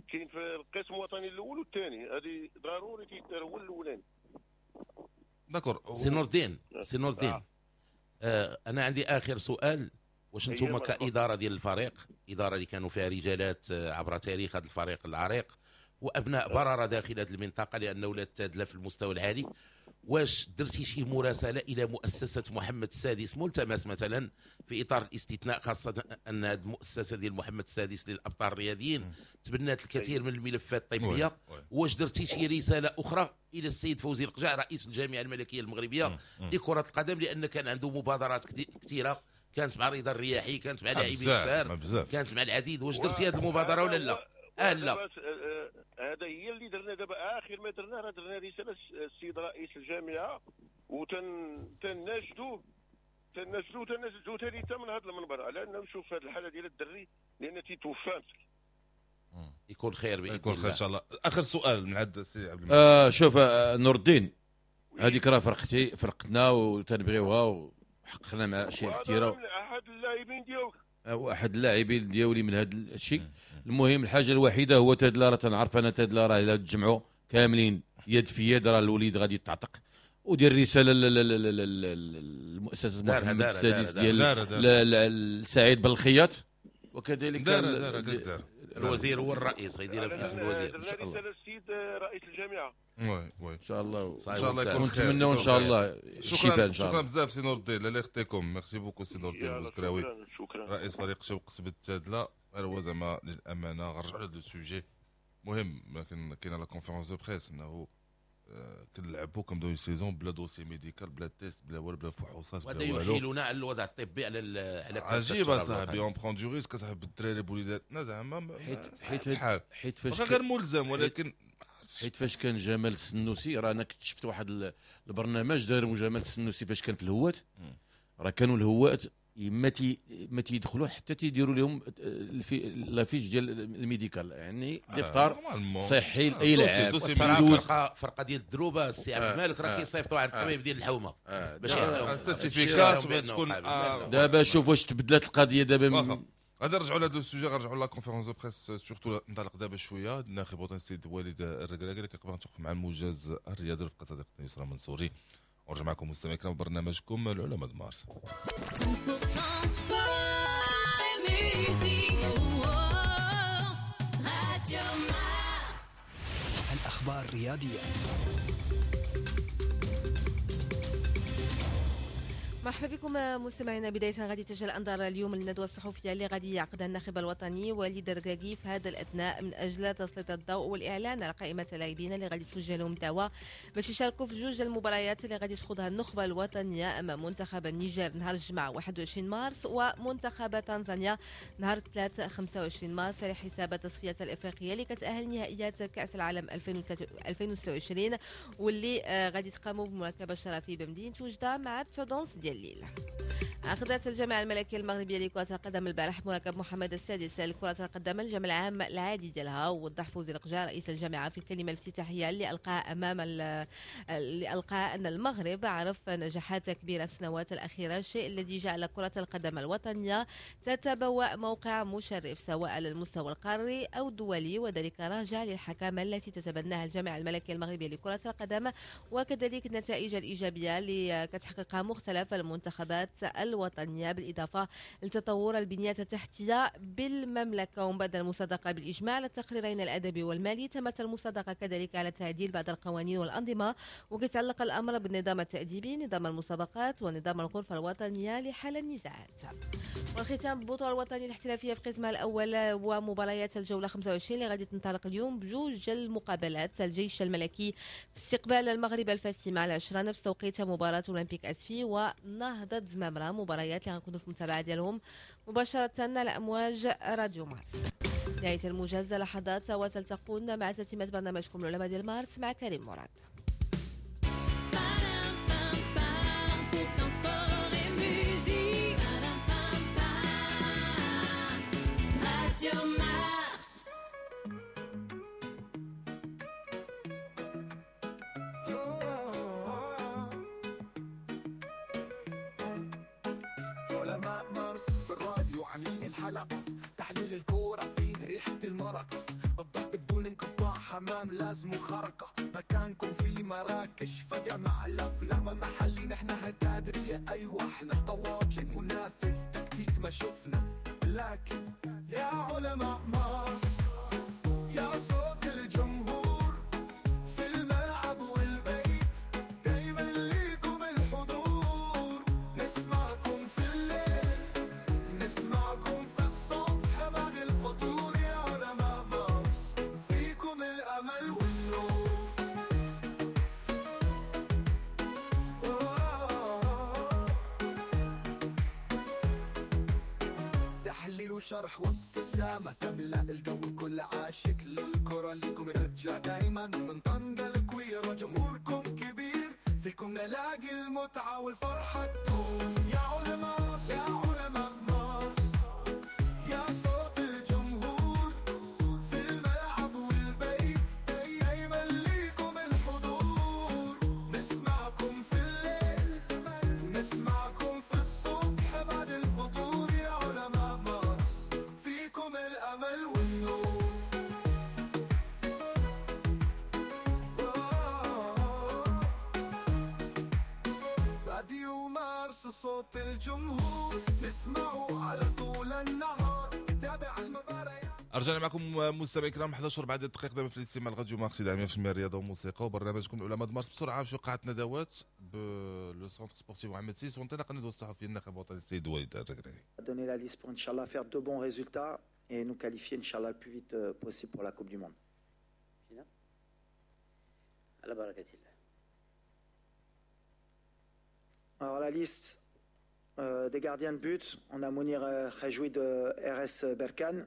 [SPEAKER 7] كاين في القسم الوطني الاول والثاني، هذه ضروري تيدار هو الاولاني.
[SPEAKER 3] d'accord
[SPEAKER 4] سي نور الدين، سي نور الدين آه انا عندي اخر سؤال. واش نتوما كادارة ديال الفريق، ادارة اللي كانوا فيها رجالات عبر تاريخ هذا الفريق العريق وابناء بررة داخل هذه المنطقة لان ولاد تادله في المستوى العالي، واش درتي شي مراسله الى مؤسسة محمد السادس ملتمس مثلا في اطار الاستثناء، خاصة ان هذه المؤسسة ديال محمد السادس للابطال الرياضيين تبنات الكثير من الملفات الطبية؟ واش درتي شي رسالة اخرى الى السيد فوزي القجع رئيس الجامعة الملكية المغربية لكرة القدم، لان كان عنده مبادرات كثيرة، كانت مع رضا الرياحي، كانت مع لاعبين كثار، كانت مع العديد، واش درتي هذه المبادرة ولا لا؟ اه لا،
[SPEAKER 7] هذا هي اللي درنا دابا. اخر ما درنا راه درنا رسالة السيد رئيس الجامعة وتناشدوه تناشدوه تناشدوه ثاني حتى من هذا المنبر على انه نشوف هذه الحالة ديال الدري لان تيتوفى مسكين.
[SPEAKER 4] يكون خير باذن الله،
[SPEAKER 3] يكون خير ان شاء الله. اخر سؤال من عند السي عبد المجيد.
[SPEAKER 5] آه شوف آه نور الدين، هذيك راه فرقتي فرقتنا وتنبغيوها وحققنا مع اشياء كثيرة.
[SPEAKER 7] احد اللاعبين ديالك
[SPEAKER 5] واحد اللاعبين ديالي من هذا الشيء. المهم الحاجة الوحيدة هو تادلا راه تنعرف انا تادلا راه الا تجمعوا كاملين يد في يد راه الوليد غادي يتعتق. ودير رسالة للمؤسسه محمد السادس ديال سعيد بالخياط، وكذلك
[SPEAKER 4] الوزير هو الرئيس غيديرها في اسم الوزير
[SPEAKER 7] ان شاء الله. السيد رئيس الجامعة
[SPEAKER 3] oui oui
[SPEAKER 5] ان شاء الله،
[SPEAKER 3] ان شاء الله يكون خير،
[SPEAKER 5] ونتمنوا ان شاء الله الشفاء ان شاء الله.
[SPEAKER 3] شكرا بزاف سي نور الدين، الله يخطيكم. merci beaucoup سي نور الدين بوزكراوي رئيس فريق شوق قصبة تادله. غير هو زعما للامانة غنرجعوا لهذا ال sujet مهم، لكن كاينه la conférence de presse انه كنلعبوا كنبداو saison بلا dossier médical بلا test بلا والو بلا فحوصات
[SPEAKER 4] بلا والو، وهذا يحيلنا على الوضع الطبي على على
[SPEAKER 3] عجيب اصاحبي. on prend du risque اصاحبي الدراري بوليداتنا زعما
[SPEAKER 5] حيت حيت حيت فاش
[SPEAKER 3] غير ملزم، ولكن
[SPEAKER 5] حيت فاش كان جمال السنوسي راه انا كنت شفت واحد البرنامج داروا جمال السنوسي فاش كان في الهوات، راه كانوا الهوات ما تي ما تيدخلوا حتى تيديروا لهم la fiche ديال ال médical، يعني دفتر صحي لاي لاعب.
[SPEAKER 4] فرقه فرقه ديال الدروبه السي عبد الملك راه كيصيفطوا عند الطبيب ديال الحومه باش
[SPEAKER 3] يعطيهم certificat باش تكون.
[SPEAKER 5] دابا شوف واش تبدلات القضية دابا.
[SPEAKER 3] غادي نرجعوا لهذا ال sujet، غنرجعوا la conférence de presse surtout ننطلق دابا شوية. الناخب الوطني السيد وليد الركراكي اللي كيقبل نتوقف مع الموجز الرياضي رفقه صديقتنا يسرا منصوري. ونرجع معكم مستمعينا الكرام برنامجكم العلماء مارس.
[SPEAKER 2] الأخبار الرياضية.
[SPEAKER 8] مرحبا بكم مستمعينا. بداية غادي تجي الأنظار اليوم للندوة الصحفية اللي غادي يعقدها الناخب الوطني وليد الركراكي في هذا الأثناء من أجل تسليط الضوء والإعلان على قائمة اللاعبين اللي غادي توجه لهم الدعوة باش يشاركوا في جوج المباريات اللي غادي تخوضها النخبة الوطنية أمام منتخب النيجر نهار الجمعة واحد وعشرين مارس ومنتخب تنزانيا نهار الثلاثاء خمسة وعشرين مارس على حساب التصفيات الإفريقية اللي كتأهل نهائيات كأس العالم ألفين وستة وعشرين واللي غادي تقام بمركب الشرفي بمدينة وجدة مع تسعة ونص ديال الليل. عقدت الجامعة الملكية المغربية لكرة القدم البارح مركب محمد السادس لكرة القدم الجمع العام العادي ديالها. ووضح فوزي القجع رئيس الجامعة في الكلمة الافتتاحية اللي ألقاها أمام اللي ألقاها أن المغرب عرف نجاحات كبيرة في السنوات الأخيرة، الشيء الذي جعل كرة القدم الوطنية تتبوأ موقع مشرف سواء على المستوى القاري أو الدولي، وذلك راجع للحكامة التي تتبناها الجامعة الملكية المغربية لكرة القدم وكذلك النتائج الإيجابية اللي كتحققها مختلف المنتخبات الوطنية. الوطنية، بالإضافة لتطور البنيات التحتية بالمملكة. ومن بعد المصادقة بالإجماع على التقريرين الأدبي والمالي، تمت المصادقة كذلك على تعديل بعض القوانين والأنظمة، وكيتعلق الأمر بالنظام التأديبي، نظام المسابقات، ونظام الغرفة الوطنية لحل النزاعات. والختام بالبطولة الوطنية الاحترافية في قسمها الأول ومباريات الجولة خمسة وعشرين اللي غادي تنطلق اليوم بجوج المقابلات. الجيش الملكي في استقبال المغرب الفاسي مع العشرة نفس توقيت مباراة أولمبيك أسفي ونهضة زمامرة، مباريات اللي غنكونوا في المتابعة ديالهم مباشرة على أمواج راديو مارس. نهاية الموجز لحظات وتلتقون مع تتمة برنامجكم العلماء ديال مارس مع كريم مراد.
[SPEAKER 2] علماء مارس في الراديو عاملين الحلقة، تحليل الكورة فيه ريحة المرق، الضرب بدون انقطاع، حمام لازم خرقة، مكانكم في مراكش فجأة مع الأفلام محلي، نحنا هتادرية أيوة احنا طواجن منافذ تكتيك ما شفنا، لكن يا علماء مارس يا صوت الجمهور في الملعب والبيت، دايما ليكم الحضور، نسمعكم في الليل نسمعكم في الصبح بعد الفطور، يا علماء مارس فيكم الأمل والنور. تحليل وشرح وابتسامة تملأ الجو، كل عاشق للكرة ليكم رجع دايما، من طنجة لكويرة جمهوركم كبير، فيكم نلاقي المتعة والفرحة تدوم، يا علماء يا علماء مارس يا صوت الجمهور في الملعب والبيت، دايما ليكم الحضور، نسمعكم في الليل نسمعكم في الصبح بعد الفطور، يا علماء مارس فيكم الأمل والنور. راديو مارس صوت الجمهور، نسمعه على طول النهار، تابع المباريات.
[SPEAKER 3] رجعنا معكم مستمعي الكرام إحدى عشر بعد الدقيقة دائما في الاستماع لراديو مارس إذاعة في الرياضة والموسيقى وبرنامجكم العلماء مارس. بسرعة نمشيو قاعة ندوات ب le centre sportif محمد سيس وانطلاق الندوة الصحفية الناخب الوطني السيد وليد الركراكي.
[SPEAKER 9] Donner la liste pour Inch'Allah faire de bons résultats et nous qualifier Inch'Allah le plus vite possible pour la Coupe du Monde.
[SPEAKER 10] على بركة الله.
[SPEAKER 9] Alors la liste euh, des gardiens de but, on a Mounir Khajoui de R S Berkane,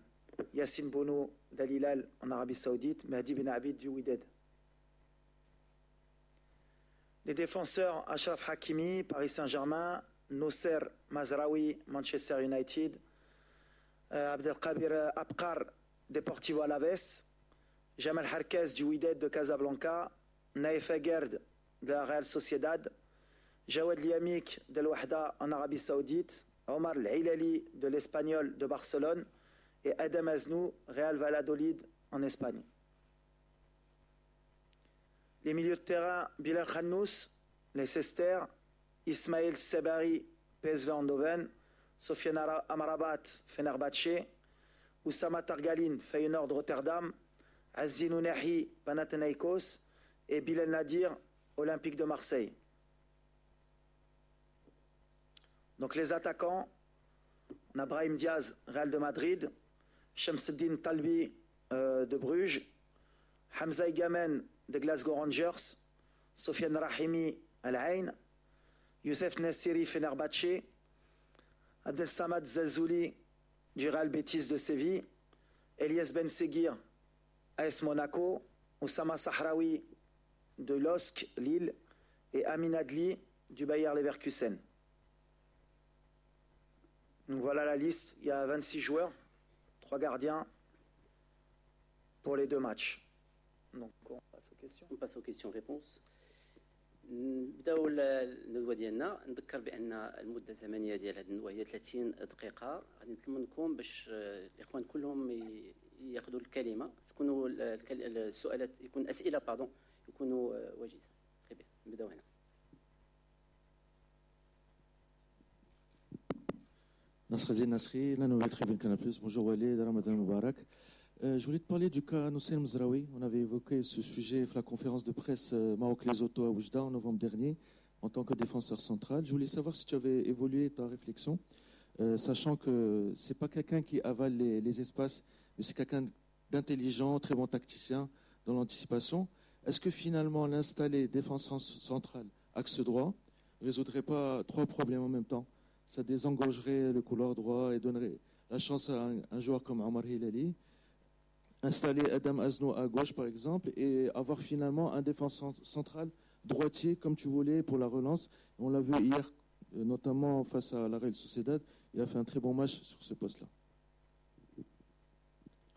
[SPEAKER 9] Yassine Bono d'Al Hilal en Arabie Saoudite, Mehdi Ben Abid du Wydad. Les défenseurs, Achraf Hakimi, Paris Saint-Germain, Nosser Mazraoui, Manchester United, euh, Abdelkabir Abqar, Deportivo Alaves, Jamal Harkez du Wydad de Casablanca, Naïf Aguerd de la Real Sociedad, Jawad Liamik de l'Wahda en Arabie Saoudite, Omar El Hilali de l'Espagnol de Barcelone et Adam Aznou, Real Valladolid en Espagne. Les milieux de terrain, Bilal Khannous, Leicester, Ismaël Sebari, P S V Eindhoven, Sofiane Amrabat, Fenerbahçe, Oussama Targaline, Feyenoord Rotterdam, Azzedine Ounahi, Panathinaikos et Bilal Nadir, Olympique de Marseille. Donc les attaquants, on a Brahim Diaz, Real de Madrid, Shamsuddin Talbi euh, de Bruges, Hamza Igamen de Glasgow Rangers, Sofiane Rahimi Al Ain, Youssef Nassiri Fenerbahçe, Abdel Samad Zazouli du Real Betis de Séville, Elias Ben Seguir, A S Monaco, Oussama Sahraoui de L O S C Lille et Amin Adli du Bayer Leverkusen. Donc voilà la liste, il y a vingt-six joueurs, trois gardiens pour les deux matchs. Donc on passe aux questions.
[SPEAKER 10] On passe aux questions-réponses. نبداو الندوة ديالنا. نذكر بان المدة الزمنية ديال هذه الندوة هي ثلاثين دقيقة. غادي نطلب منكم باش الاخوان كلهم ياخذوا الكلمة، تكونوا السؤالات يكون اسئلة pardon يكونوا وجيزة. نبداو هنا.
[SPEAKER 11] Nasreddin Nasri, la nouvelle tribune Canal plus. Bonjour Walid, رمضان مبارك. Euh, je voulais te parler du cas Noussair Mzraoui. On avait évoqué ce sujet à la conférence de presse euh, Maroc-Lesotho à Oujda en novembre dernier en tant que défenseur central. Je voulais savoir si tu avais évolué ta réflexion, euh, sachant que c'est pas quelqu'un qui avale les, les espaces, mais c'est quelqu'un d'intelligent, très bon tacticien dans l'anticipation. Est-ce que finalement l'installer défenseur central, axe droit, résoudrait pas trois problèmes en même temps? Ça désengorgerait le couloir droit et donnerait la chance à un, un joueur comme Omar Hilali. Installer Adam Aznou à gauche, par exemple, et avoir finalement un défenseur central droitier, comme tu voulais, pour la relance. On l'a vu hier, euh, notamment face à la Real Sociedad, il a fait un très bon match sur ce poste-là.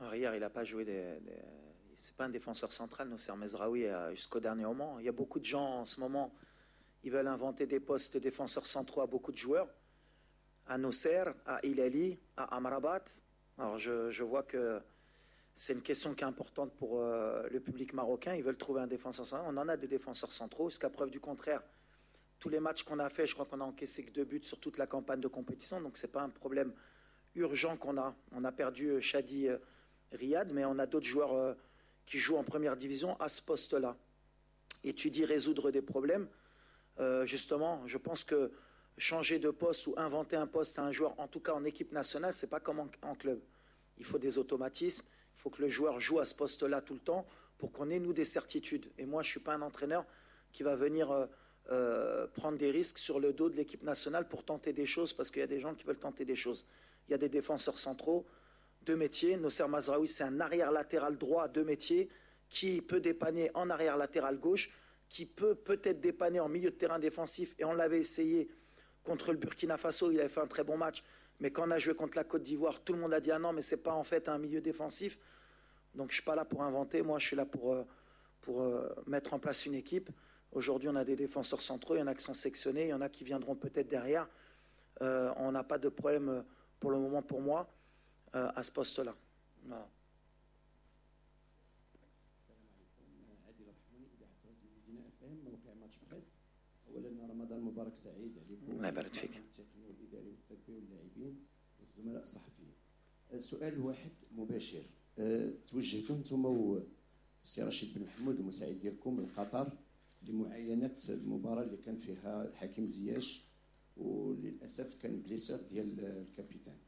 [SPEAKER 9] Alors, hier, il n'a pas joué des, des... C'est pas un défenseur central, Noussair Mezraoui, euh, jusqu'au dernier moment. Il y a beaucoup de gens en ce moment, ils veulent inventer des postes de défenseurs centraux à beaucoup de joueurs. À Noussair, à Hilali, à Amrabat. Alors je, je vois que c'est une question qui est importante pour euh, le public marocain. Ils veulent trouver un défenseur central. On en a des défenseurs centraux. Jusqu'à preuve du contraire, tous les matchs qu'on a fait, je crois qu'on a encaissé que deux buts sur toute la campagne de compétition. Donc ce n'est pas un problème urgent qu'on a. On a perdu Chadi euh, Riad, mais on a d'autres joueurs euh, qui jouent en première division à ce poste-là. Et tu dis résoudre des problèmes. Euh, justement, je pense que changer de poste ou inventer un poste à un joueur, en tout cas en équipe nationale, c'est pas comme en, en club. Il faut des automatismes, il faut que le joueur joue à ce poste-là tout le temps pour qu'on ait, nous, des certitudes. Et moi, je ne suis pas un entraîneur qui va venir euh, euh, prendre des risques sur le dos de l'équipe nationale pour tenter des choses, parce qu'il y a des gens qui veulent tenter des choses. Il y a des défenseurs centraux de métier. Noussair Mazraoui, c'est un arrière latéral droit de métier qui peut dépanner en arrière latéral gauche, qui peut peut-être dépanner en milieu de terrain défensif, et on l'avait essayé contre le Burkina Faso, il avait fait un très bon match, mais quand on a joué contre la Côte d'Ivoire, tout le monde a dit « Ah non, mais c'est pas en fait un milieu défensif ». Donc je suis pas là pour inventer, moi je suis là pour, pour mettre en place une équipe. Aujourd'hui, on a des défenseurs centraux, il y en a qui sont sélectionnés, il y en a qui viendront peut-être derrière. Euh, on n'a pas de problème pour le moment pour moi euh, à ce poste-là. Voilà.
[SPEAKER 12] السلام عليكم، عادل الرحموني، اذاعة راديو مدينة اف ام، موقع ماتش بريس. اولا رمضان مبارك سعيد عليكم.
[SPEAKER 9] الله يبارك فيك.
[SPEAKER 12] التقني والاداري والطبي واللاعبين والزملاء الصحفيين. سؤال واحد مباشر، أه، توجهتوا انتم والسي رشيد بن محمود المساعد ديالكم لقطر لمعاينه المباراة اللي كان فيها حكيم زياش، وللاسف كان blessure ديال ال capitaine.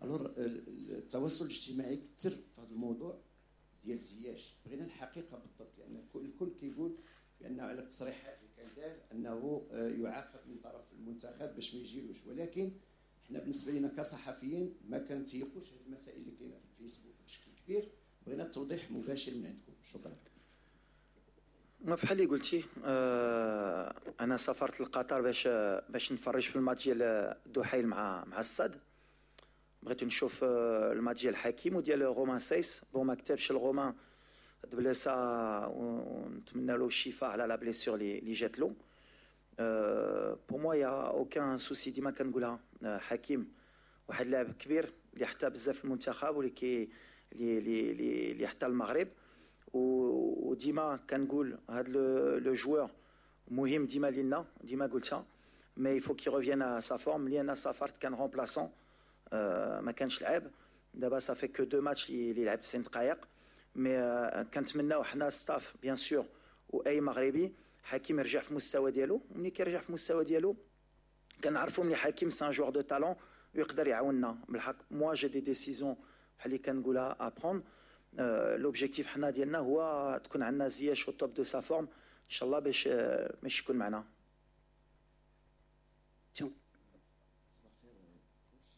[SPEAKER 12] Alors التواصل الاجتماعي كثر في هذا الموضوع ديال زياش، بغينا الحقيقة بالضبط، لان الكل كيقول بانه على التصريحات اللي كان دار انه يعاقب من طرف المنتخب باش ما يجيلوش، ولكن حنا بالنسبة لنا كصحفيين ما كنتيقوش هذه المسائل اللي كاينه في الفيسبوك بشكل كبير. بغينا التوضيح مباشر من عندكم، شكرا.
[SPEAKER 9] ما بحال اللي قلتي، آه انا سافرت لقطر باش باش نفرج في الماتش ديال الدحيل مع مع السد. بغيت نشوف الماتش ديال حكيم وديال رومان سايس. Bon، ما كتبش لرومان، تبليسا، ونتمنى له الشفاء على la blessure اللي جات له. Pour moi y a aucun souci، ديما كنقولها، حكيم واحد اللاعب كبير اللي حتى بزاف المنتخب واللي كي اللي اللي اللي حتى المغرب، وديما كنقول هذا le joueur مهم ديما لينا، ديما قلتها، mais il faut qu'il revienne à sa forme. ملي انا سافرت كان remplaçant، ما كانش لعب. دابا ça fait que deux matchs اللي لعب تسعين دقائق، mais كنتمناو حنا staff bien sûr واي مغربي حكيم يرجع في المستوى ديالو. ملي كيرجع في المستوى ديالو كنعرفوا ملي حكيم c'est un joueur de talent ويقدر يعاوننا. بالحق moi j'ai des décisions بحال اللي كنقولها à prendre. L'objectif حنا ديالنا هو تكون عندنا زياش au top de sa forme ان شاء الله باش باش يكون معنا.
[SPEAKER 13] صباح الخير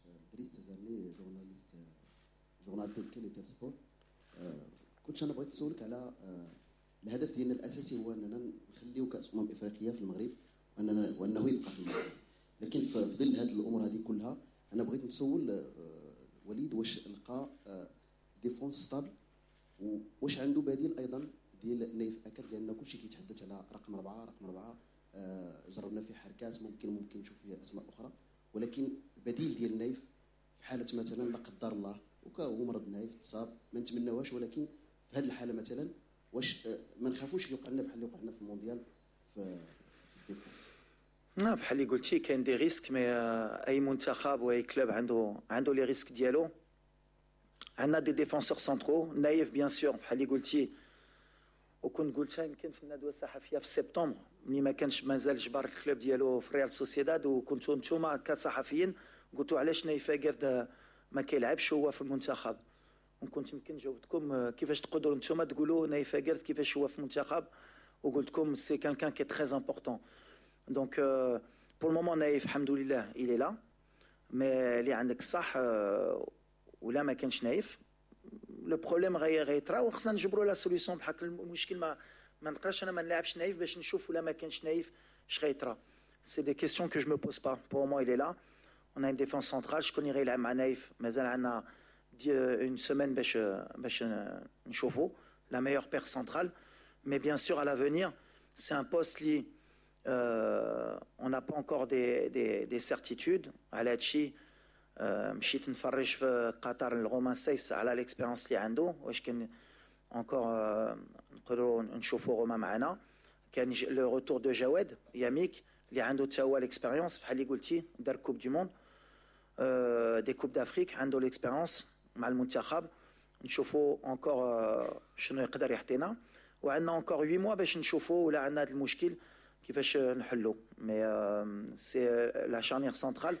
[SPEAKER 13] coach، دريس تزاملي، journaliste journal تيل تيل سبور. كنت انا بغيت نسولك على الهدف ديالنا الاساسي هو اننا نخليو كاس امم افريقيا في المغرب واننا وانه يبقى في المغرب، لكن في ظل هذه الامور هذه كلها انا بغيت نسول وليد واش لقى défense stable، واش عنده بديل ايضا ديال نايف اكرد، لان كلشي كيتحدث على رقم أربعة رقم أربعة آه جربنا فيه حركات، ممكن ممكن نشوف فيه اسماء اخرى، ولكن بديل ديال نايف في حاله مثلا لا قدر الله وهو مرض نايف تصاب، ما نتمناوهاش، ولكن في هذه الحالة مثلا واش ما نخافوش يوقع لنا بحال اللي وقع لنا في المونديال في, في ال défense؟
[SPEAKER 9] بحال اللي قلتي كاين des risques، mais اي منتخب واي club عنده عنده les risques ديالو. عندنا des défenseurs centraux، نايف bien sûr، بحال اللي قلتي، وكنت قلتها يمكن في الندوة الصحفية في سبتمبر ملي ما كانش مازال جبر ال club ديالو في ريال سوسيداد، وكنتوا نتوما كصحفيين قلتوا علاش نايف اكرد ما كيلعبش هو في المنتخب، وكنت يمكن جاوبتكم كيفاش تقدروا نتوما تقولوا نايف اكرد كيفاش هو في المنتخب، وقلت لكم c'est quelqu'un qui est très important. donc pour le moment نايف الحمد لله il est là، mais اللي عندك صح، ولا ما كانش نايف le problème غي غيطرا وخصنا نجبروا la solution. بحال المشكل ما ما نقدرش انا ما نلعبش نايف باش نشوف ولا ما كانش نايف اش غيطرا. c'est des questions que je me pose pas. pour le moment il est là. on a une défense centrale، شكون اللي غيلعب مع نايف؟ مازال عندنا une semaine باش باش نشوفوا la meilleure paire centrale، mais bien sûr à l'avenir c'est un poste اللي on n'a pas encore des des des certitudes على هادشي. مشيت نفرج في قطر الرومان سايس على l'expérience اللي عنده، واش كان encore نقدروا نشوفوا روما معنا. كان le retour de جواد ياميك اللي عنده حتى هو l'expérience، بحال اللي قلتي دار coupe du monde، des coupes d'Afrique، عنده l'expérience مع المنتخب. نشوفوا encore شنو يقدر يعطينا، وعندنا encore huit mois باش نشوفوا ولا عندنا هذا المشكل كيفاش نحلو. mais c'est la charnière centrale،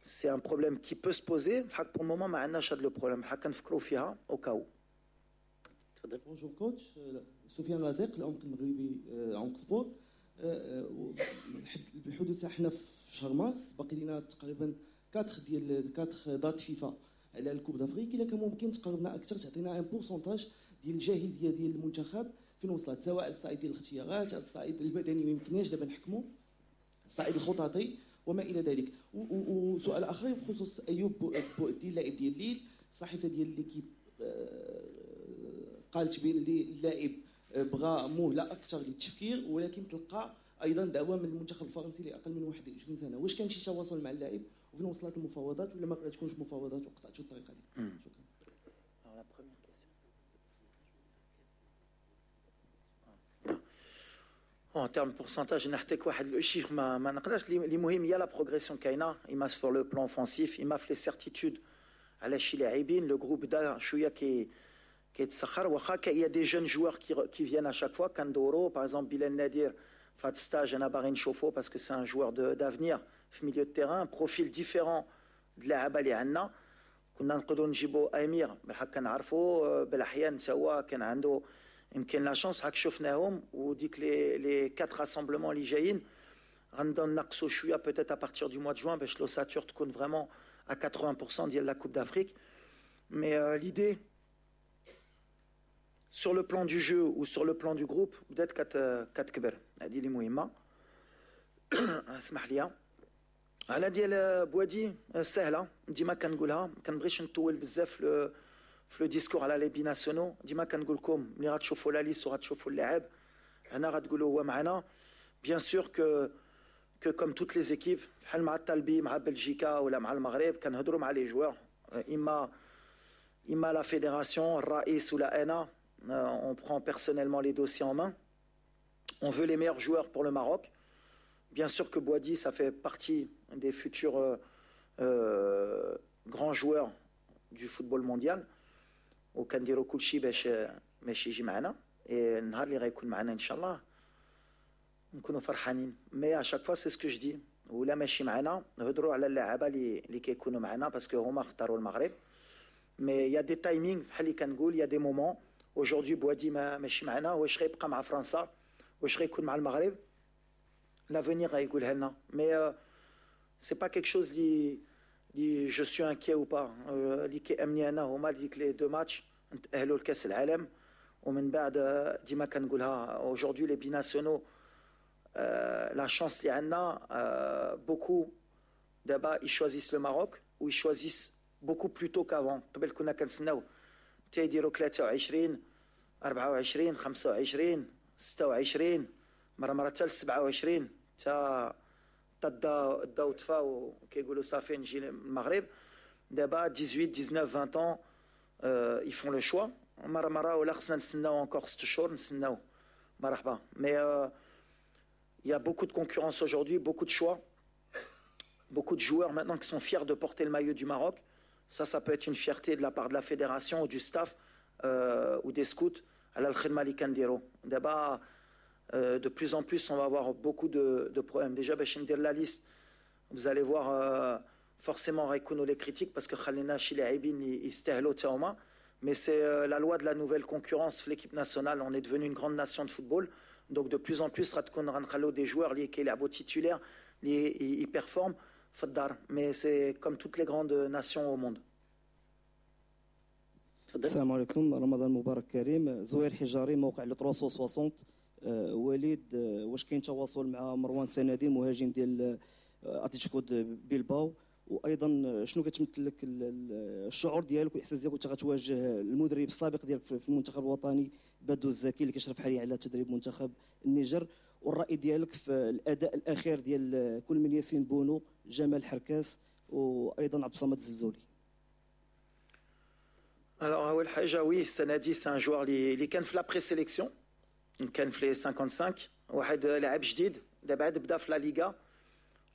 [SPEAKER 9] c'est un problème qui peut se poser. الحق pour le moment ما عندناش هذا le problème، الحق كنفكروا فيها au cas où.
[SPEAKER 10] تفضل.
[SPEAKER 11] bonjour coach، سفيان رزيق، العمق المغربي، عمق سبور. بحدود حنا في شهر مارس، باقي لنا تقريبا أربعة ديال أربعة dates FIFA على ال coupe d'Afrique. الا كان ممكن تقربنا اكثر، تعطينا un pourcentage ديال الجاهزيه ديال المنتخب فين وصلت، سواء على الصعيد ديال الاختيارات، على الصعيد البدني ما يمكنناش دابا نحكموا، الصعيد الخططي وما الى ذلك. وسؤال اخر بخصوص ايوب بوعدي، اللاعب ديال ليل. الصحيفة ديال L'Équipe آه، قالت بان اللاعب بغى مهله اكثر للتفكير، ولكن تلقى ايضا دعوه من المنتخب الفرنسي لاقل من واحد وعشرين سنه. واش كان شي تواصل مع اللاعب؟ وفين وصلت المفاوضات؟ ولا ما تكونش مفاوضات وقطعتوا الطريقة دي؟ شكرا.
[SPEAKER 9] La première question. En termes de pourcentage، نعطيك واحد le chiffre ما ما نقدرش. اللي مهم هي la progression كاينه، اما sur le plan offensif، اما في les certitudes على شي لاعبين. le groupe دا شوية كي كيتسخر، واخا il y a des jeunes joueurs qui qui viennent à chaque fois. كندورو par exemple بلال نادير في هاد stage، انا باغي نشوفو parce que c'est un joueur d'avenir في milieu de terrain، profil différent د اللعابه اللي عندنا. كنا نقدروا نجيبو امير، بالحق كنعرفو بالاحيان حتى هو كان عنده يمكن la chance. بحال شفناهم، وديك les les quatre rassemblements اللي جايين غنبداو نقصوا شوية peut-être à partir du mois de juin باش l'ossature تكون vraiment à quatre-vingts pour cent ديال la Coupe d'Afrique. mais l'idée sur le plan du jeu ou sur le plan du groupe بدات كتكبر، هذه اللي مهمه. اسمح لي، على ديال بوادي سهله، ديما كنقولها، ما كنبغيش نطول بزاف في le discours على les binationaux. ديما كنقول لكم ملي غتشوفوا la liste وغتشوفوا اللاعب هنا غتقولوا هو معنا. bien sûr que que comme toutes les équipes، بحال مع الطالبي، مع بلجيكا ولا مع المغرب، كنهضروا مع les joueurs، اما اما la fédération، الرئيس ولا انا، on prend personnellement les dossiers en main. On veut les meilleurs joueurs pour le Maroc. Bien sûr que Bouaddi, ça fait partie des futurs euh, euh, grands joueurs du football mondial. وكنديروا كلشي باش باش يجي معنا، النهار اللي غيكون معنا ان شاء الله نكونوا فرحانين. mais à chaque fois c'est ce que je dis، ولا ماشي معنا نهضروا على اللعابه اللي اللي كيكونوا معنا parce que هما اختاروا المغرب. mais il y a des timings، بحال اللي كنقول، il y a des moments. aujourd'hui بوادي ما ماشي معنا، واش غيبقى مع فرنسا؟ واش غيكون مع المغرب؟ l'avenir غيقولها لنا. mais c'est pas quelque chose اللي اللي je suis inquiet ou pas. اللي كيهمني انا هما ديك les deux matchs، نتاهلوا لكاس العالم، ومن بعد ديما كنقولها، aujourd'hui les binationaux، la chance اللي عندنا، beaucoup دابا ils choisissent le Maroc و ils choisissent beaucoup plus tôt qu'avant. قبل كنا كنتسناو حتى يديروا ثلاثة وعشرين، أربعة وعشرين، خمسة وعشرين، ستة وعشرين، مرة مرة حتى سبعة وعشرين، حتى تا الضو طفا وكيقولوا صافي نجي للمغرب. دابا ثمنطاش، تسعطاش، عشرين ans ils font le choix. مرة مرة ولا خصنا نستناو encore ست شهور، نستناو، مرحبا. mais Il y a beaucoup de concurrence aujourd'hui, beaucoup de choix, beaucoup de joueurs maintenant qui sont fiers de porter le maillot du Maroc. Ça, ça peut être une fierté de la part de la fédération ou du staff euh, ou des scouts. على الخدمة اللي كنديرو. دابا euh, de plus en plus, on va avoir beaucoup de, de problèmes. Déjà, باش ندير la liste, vous allez voir euh, forcément غيكونوا les critiques parce que خلينا شي لاعبين اللي يستاهلوا تا هما. Mais c'est euh, la loi de la nouvelle concurrence في l'équipe nationale. On est devenu une grande nation de football. Donc de plus en plus غتكون غنخلو des joueurs اللي كيلعبوا titulaires اللي ils performent في الدار. Mais c'est comme toutes les grandes nations au monde.
[SPEAKER 14] السلام عليكم، رمضان مبارك كريم. زهير حجاري، موقع Le ثلاثمية وستين. آه، وليد، آه، واش كاين تواصل مع مروان سنادي، مهاجم ديال آه، اتلتيكو بيلباو؟ وايضا شنو كتمثل لك الشعور ديالك والاحساس ديالك وانت غتواجه المدرب السابق ديالك في المنتخب الوطني بادو الزكي، اللي كيشرف حاليا على تدريب منتخب النيجر؟ والراي ديالك في الاداء الاخير ديال كل من ياسين بونو، جمال حركاس، وايضا عبد الصمد الزلزولي؟
[SPEAKER 9] Alors, أول حاجة، oui, Sanadi, c'est un joueur اللي كان في la présélection، كان في les cinquante-cinq، واحد لاعب جديد دابا عاد بدا في la Liga.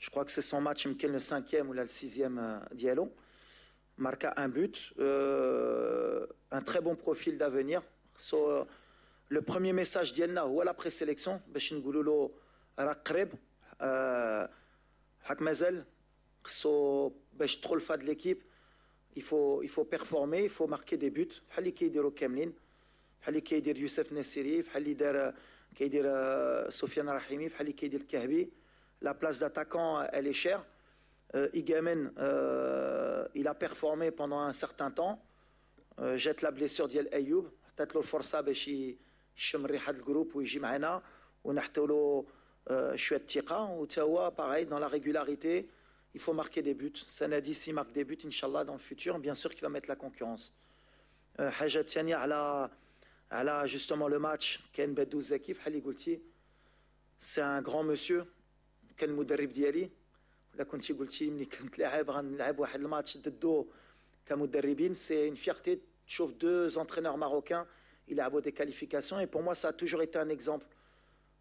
[SPEAKER 9] Je crois que c'est son match يمكن le cinquième ولا le sixième ديالو. Marqua un but, euh, un très bon profil d'avenir. So, le premier message ديالنا هو la présélection باش نقولوا له راه قريب، حق مازال خصو باش تدخل في هاد l'équipe، il faut il faut performer، il faut marquer des buts بحال اللي كيديروا كاملين، بحال اللي كيدير يوسف نسيري، بحال اللي دار كيدير سفيان رحيمي، بحال اللي كيدير الكعبي. La place d'attaquant، elle est chère. euh, Igamane، euh, il a performé pendant un certain temps. euh, جات la blessure ديال ايوب، عطات له الفرصه باش يشم ريحه ال groupe ويجي معنا ونحطوا له شويه الثقه، وتا هو pareil، dans la régularité، il faut marquer des buts. Sanadi، s'il marque des buts، إن شاء الله، dans le futur، bien sûr qu'il va mettre la concurrence. حاجة ثانية على على justement le match، كاين بدو زكي، بحال اللي قلتي، c'est un grand monsieur، كان المدرب ديالي. ولا كنتي قلتي ملي كنت لاعب غنلعب واحد الماتش ضدو كمدربين، c'est une fierté تشوف deux entraîneurs marocains يلعبوا des qualifications، et pour moi ça a toujours été un exemple.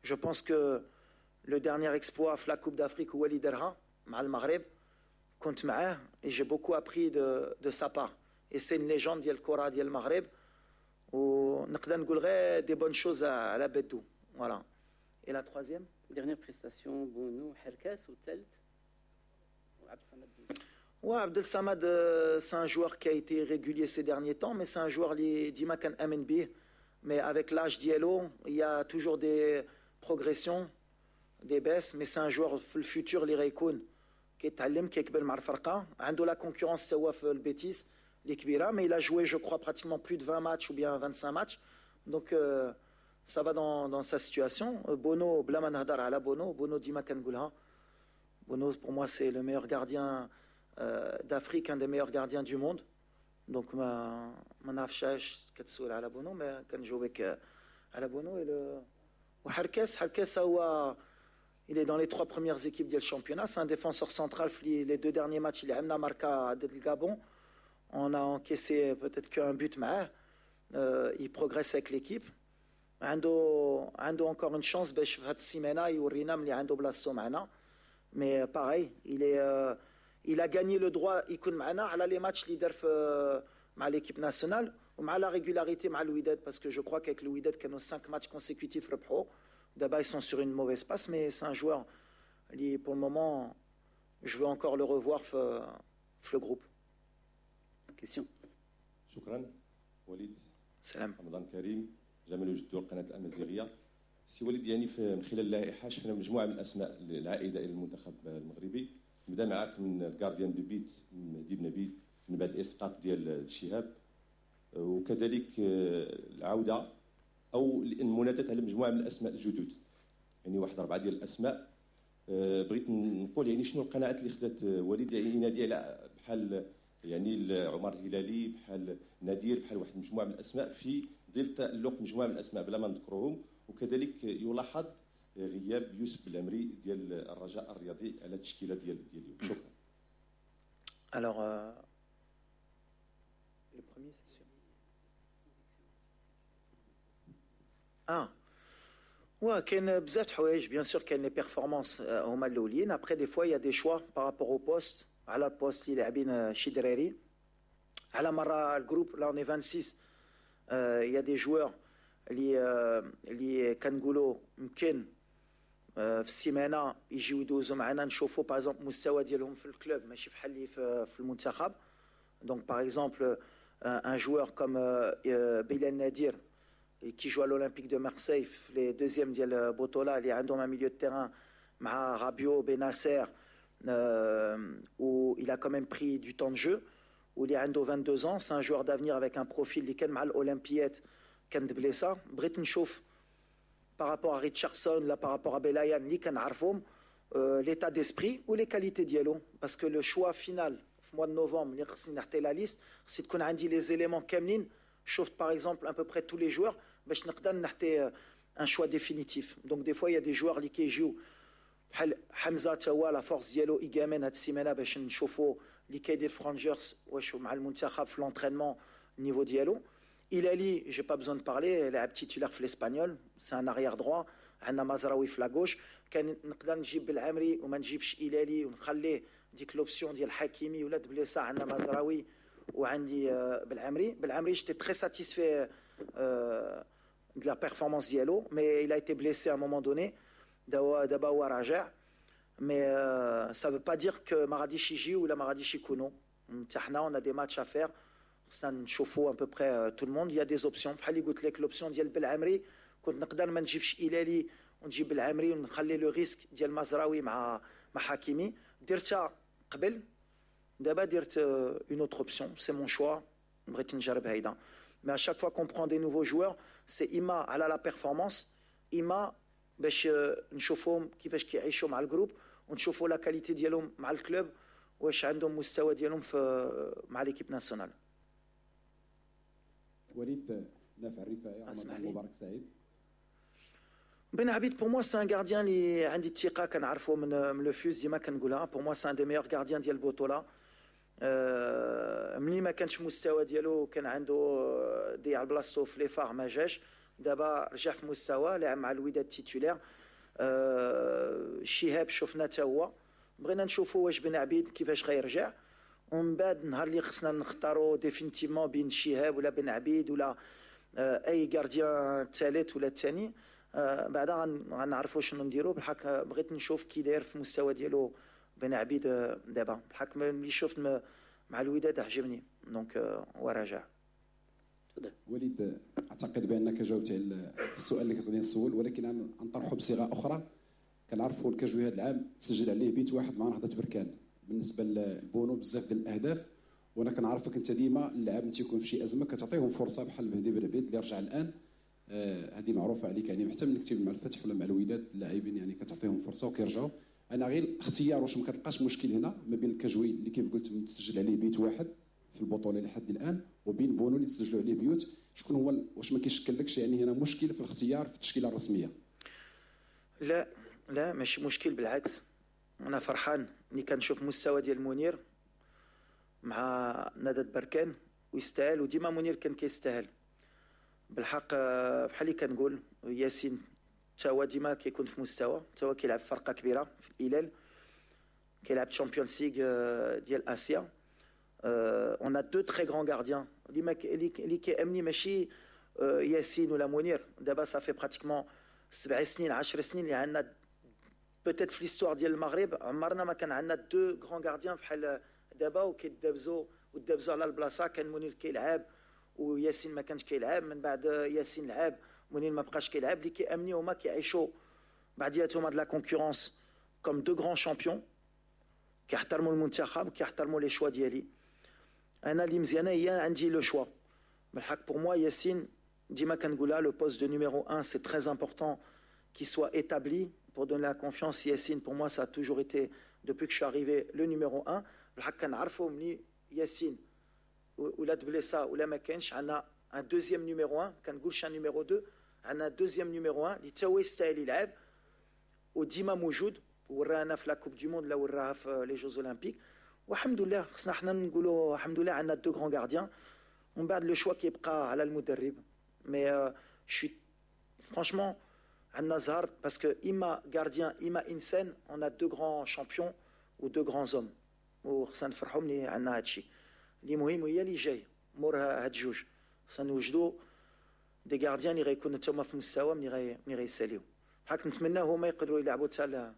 [SPEAKER 9] Je pense que le dernier exploit في la Coupe d'Afrique هو اللي دارها مع المغرب، كنت معاه et j'ai beaucoup appris de, de sa part، et c'est une légende ديال الكره ديال المغرب، ونقدر نقول غير des bonnes choses على بدو. Voilà، et la troisième؟
[SPEAKER 10] Dernière prestation، بونو، حركاس، والثالث وعبد الصمد.
[SPEAKER 9] Ouais, Abdel Samad، euh, c'est un joueur qui a été régulier ces derniers temps، mais c'est un joueur اللي ديما كنآمن به. Mais avec l'âge ديالو، il y a toujours des progressions، des baisses، mais c'est un joueur في ال futur اللي غيكون كيتعلم، كيكبر مع الفرقه. عنده la concurrence هو في البيتيس اللي كبيره، mais il a joué، je crois، pratiquement plus de vingt matchs ou bien vingt-cinq matchs، donc euh, ça va dans, dans sa situation. Bono، بلا ما نهضر على بونو. بونو ديما كنقولها، Bono pour moi c'est le meilleur gardien euh, d'Afrique، un des meilleurs gardiens du monde، donc ما ما نعرفش علاش كتسول على بونو، mais كنجاوبك على بونو. Et le وحركاس، حركاس هو il est dans les trois premières équipes du championnat. C'est un défenseur central. Les deux derniers matchs، اللي لعبنا ماركا ضد الغابون. On a encaissé peut-être qu'un but معاه. Euh, il progresse avec l'équipe. عنده عنده encore une chance باش في هذه السيمانه يورينا ملي عنده بلاصتو معنا. Mais pareil، il est euh, il a gagné le droit يكون معنا على les matchs اللي دار في مع l'équipe nationale ومع la régularité مع الوداد، parce que je crois qu'avec الوداد كانوا cinq matchs consécutifs ربحوا. دابا ils sont sur une mauvaise passe، mais c'est un joueur اللي pour le moment je veux encore le revoir في في le groupe.
[SPEAKER 10] Question.
[SPEAKER 15] شكرا وليد.
[SPEAKER 9] سلام.
[SPEAKER 15] رمضان كريم. جمال جدو، القناه الامازيغيه. سي وليد، يعني في من خلال اللائحه شفنا مجموعه من الاسماء العائده الى المنتخب المغربي. نبدا معاك من ال gardien de but مهدي بن عبيد من بعد الاسقاط ديال الشهاب، وكذلك العوده او المناداه على مجموعه من الاسماء الجدد، يعني واحد اربعه ديال الاسماء. بغيت نقول يعني شنو القناعات اللي خدات وليد يعني ينادي على بحال يعني عمر الهلالي، بحال نادير، بحال واحد المجموعه من الاسماء، في ظل تالق مجموعه من الاسماء بلا ما نذكرهم؟ وكذلك يلاحظ غياب يوسف بلعمري ديال الرجاء الرياضي على التشكيله ديال ديال اليوم. شكرا.
[SPEAKER 9] Alors, euh, le premier، c'est sûr. Ah. وكاين بزاف د الحوايج، bien sûr كاين les performances هما الاولين. après des fois y a des choix par rapport au poste، على ال poste اللي لاعبين شي دراري، على مرة ال groupe là on est vingt-six، y a des joueurs اللي اللي كنقولوا يمكن في السيمانة يجيو يدوزوا معنا، نشوفوا par exemple المستوى ديالهم في ال club ماشي بحال اللي في المنتخب. donc par exemple un joueur comme بلال نادير qui joue à l'Olympique de Marseille في les deuxièmes ديال بوطولا، اللي عندهم un milieu de terrain مع رابيو بناسير où il a quand même pris du temps de jeu، واللي عنده vingt-deux ans، c'est un joueur d'avenir avec un profil اللي كان مع الاولمبيات كان blessé. بغيت نشوف par rapport à Richardson là، par rapport à Belayan اللي كنعرفهم، l'état d'esprit و les qualités ديالو، parce que le choix final في mois de novembre اللي خصني نحطي la liste، خصني تكون عندي les éléments كاملين، شفت par exemple à peu près tous les joueurs باش نقدر نحطي un choix définitif. donc des fois y a des joueurs اللي كيجيو بحال حمزه، تا هو la force ديالو ايغامان هاد السيمانة باش نشوفوا اللي كيدير في رانجرز واش مع المنتخب في l'entraînement ال niveau ديالو. Hilali، j'ai pas besoin de parler، لاعب titulaire في l'Espanyol، c'est un arrière droit. عندنا مزراوي في la gauche. كان نقدر نجيب بالعمري وما نجيبش إلالي ونخليه ديك l'option ديال حكيمي ولا تبليسا، عندنا مزراوي وعندي بالعمري. بالعمري j'étais très satisfait de la performance ديالو، mais il a été blessé à un moment donné. دابا هو راجع، mais ça veut pas dire que ما غاديش يجي ولا ما غاديش يكونوا. حتى حنا on a des matchs à faire، خصنا نشوفوا à peu près tout le monde. y a des options بحال اللي قلت لك، l'option ديال بالعمري كنت نقدر ما نجيبش إلالي ونجيب بالعمري ونخلي le risque ديال مزراوي مع مع حكيمي. درتها قبل، دابا درت une autre option، c'est mon choix، بغيت نجرب هيدا. mais à chaque fois qu'on prend des nouveaux joueurs، c'est اما على la performance، اما باش نشوفوهم كيفاش كيعيشوا مع ال groupe ونشوفوا la qualité ديالهم مع ال club، واش عندهم مستوى ديالهم في مع l'équipe nationale.
[SPEAKER 16] وليد، نافع الرفاعي، رمضان مبارك سعيد.
[SPEAKER 9] بن عبيد pour moi c'est un gardien اللي عندي الثقه، كنعرفو من من le FUS، ديما كنقولها، pour moi c'est un des meilleurs gardiens ديال البطوله. أه ملي ما كانش مستوى ديالو كان عنده ضيع بلاصتو في les FAR، ما جاش. دابا رجع في مستوى، لعب مع الوداد titulaire. أه شهاب شفنا حتى هو. بغينا نشوفوا واش بن عبيد كيفاش غيرجع، ومن بعد نهار اللي خصنا نختاروا définitivement بين شهاب ولا بن عبيد ولا آه، اي gardien الثالث ولا الثاني، آه، بعدا غنعرفوا شنو نديروا. بالحق بغيت نشوف كي داير في المستوى ديالو بن عبيد آه، دابا. بالحق ملي شفت مع الوداد عجبني، donc هو راجع.
[SPEAKER 16] وليد، اعتقد بانك جاوبت على السؤال اللي كنت غادي نسول، ولكن نطرحه بصيغة اخرى. كنعرفوا الكجوي هذا العام تسجل عليه بيت واحد مع نهضة بركان، بالنسبة لبونو بزاف ديال الاهداف. وانا كنعرفك انت ديما اللاعب تيكون في شي ازمة كتعطيهم فرصه، بحال مهدي بن عبيد اللي رجع الان. آه هذه معروفة عليك، يعني حتى ملي كنتي مع الفتح ولا مع الوداد، اللاعبين يعني كتعطيهم فرصة وكيرجعوا. انا غير اختيار، واش ما كتلقاش مشكل هنا ما بين الكجوي اللي كيف قلت متسجل عليه بيت واحد في البطولة لحد الان، وبين بونو اللي تسجلوا عليه بيوت؟ شكون هو؟ واش ما كيشكلكش يعني هنا مشكل في الاختيار في التشكيلة الرسميه؟
[SPEAKER 9] لا لا، ماشي مشكل، بالعكس انا فرحان ملي كنشوف مستوى ديال منير مع نهضة بركان، ويستاهل، وديما منير كان كيستاهل. بالحق بحال اللي كنقول، ياسين تا هو ديما كيكون في مستوى، تا هو كيلعب في فرقه كبيرة في الهلال، كيلعب Champions League ديال اسيا. on a deux très grands gardiens. اللي ما اللي كيهمني ماشي ياسين ولا منير. دابا ça fait pratiquement سبع سنين، عشر سنين اللي عندنا، peut-être في l'histoire ديال المغرب عمرنا ما كان عندنا deux grands gardiens بحال دابا، وكيدابزو ودابزو على البلاصه. كان منير كيلعب وياسين ما كانش كيلعب، من بعد ياسين لعب، منير ما بقاش كيلعب. اللي كيهمني هما كيعيشوا بعضياتهم هاد la concurrence comme deux grands champions، كيحترموا المنتخب وكيحترموا les choix ديالي. انا اللي مزيانه هي عندي le choix. بالحق pour moi ياسين ديما كنقولها، le poste de numéro un c'est très important qu'il soit établi pour donner la confiance. Yassine pour moi ça a toujours été depuis que je suis arrivé le numéro un. بالحق كنعرفوا ملي ياسين ولا تبليسا ولا ما كانش، عندنا un deuxième numéro un، كنقولش un numéro deux، عندنا deuxième numéro un اللي تا هو يستاهل يلعب وديما موجود، ورانا في la Coupe du monde لا وراها في les Jeux Olympiques. والحمد لله خصنا حنا نقولوا الحمد لله عندنا deux grands gardiens، ومن بعد le choix كيبقى على المدرب. mais je suis franchement عندي الثقة في ياسين، عندنا زهر parce que اما gardien اما انسان، on a deux grands champions و deux grands hommes، وخصنا نفرحوا ملي عندنا هادشي. اللي مهم هي اللي جاي مور هاد جوج، خصنا نوجدوا des gardiens اللي غيكونوا تما في المستوى ملي غي ملي غيساليو. بحال نتمنى هما يقدروا يلعبوا حتى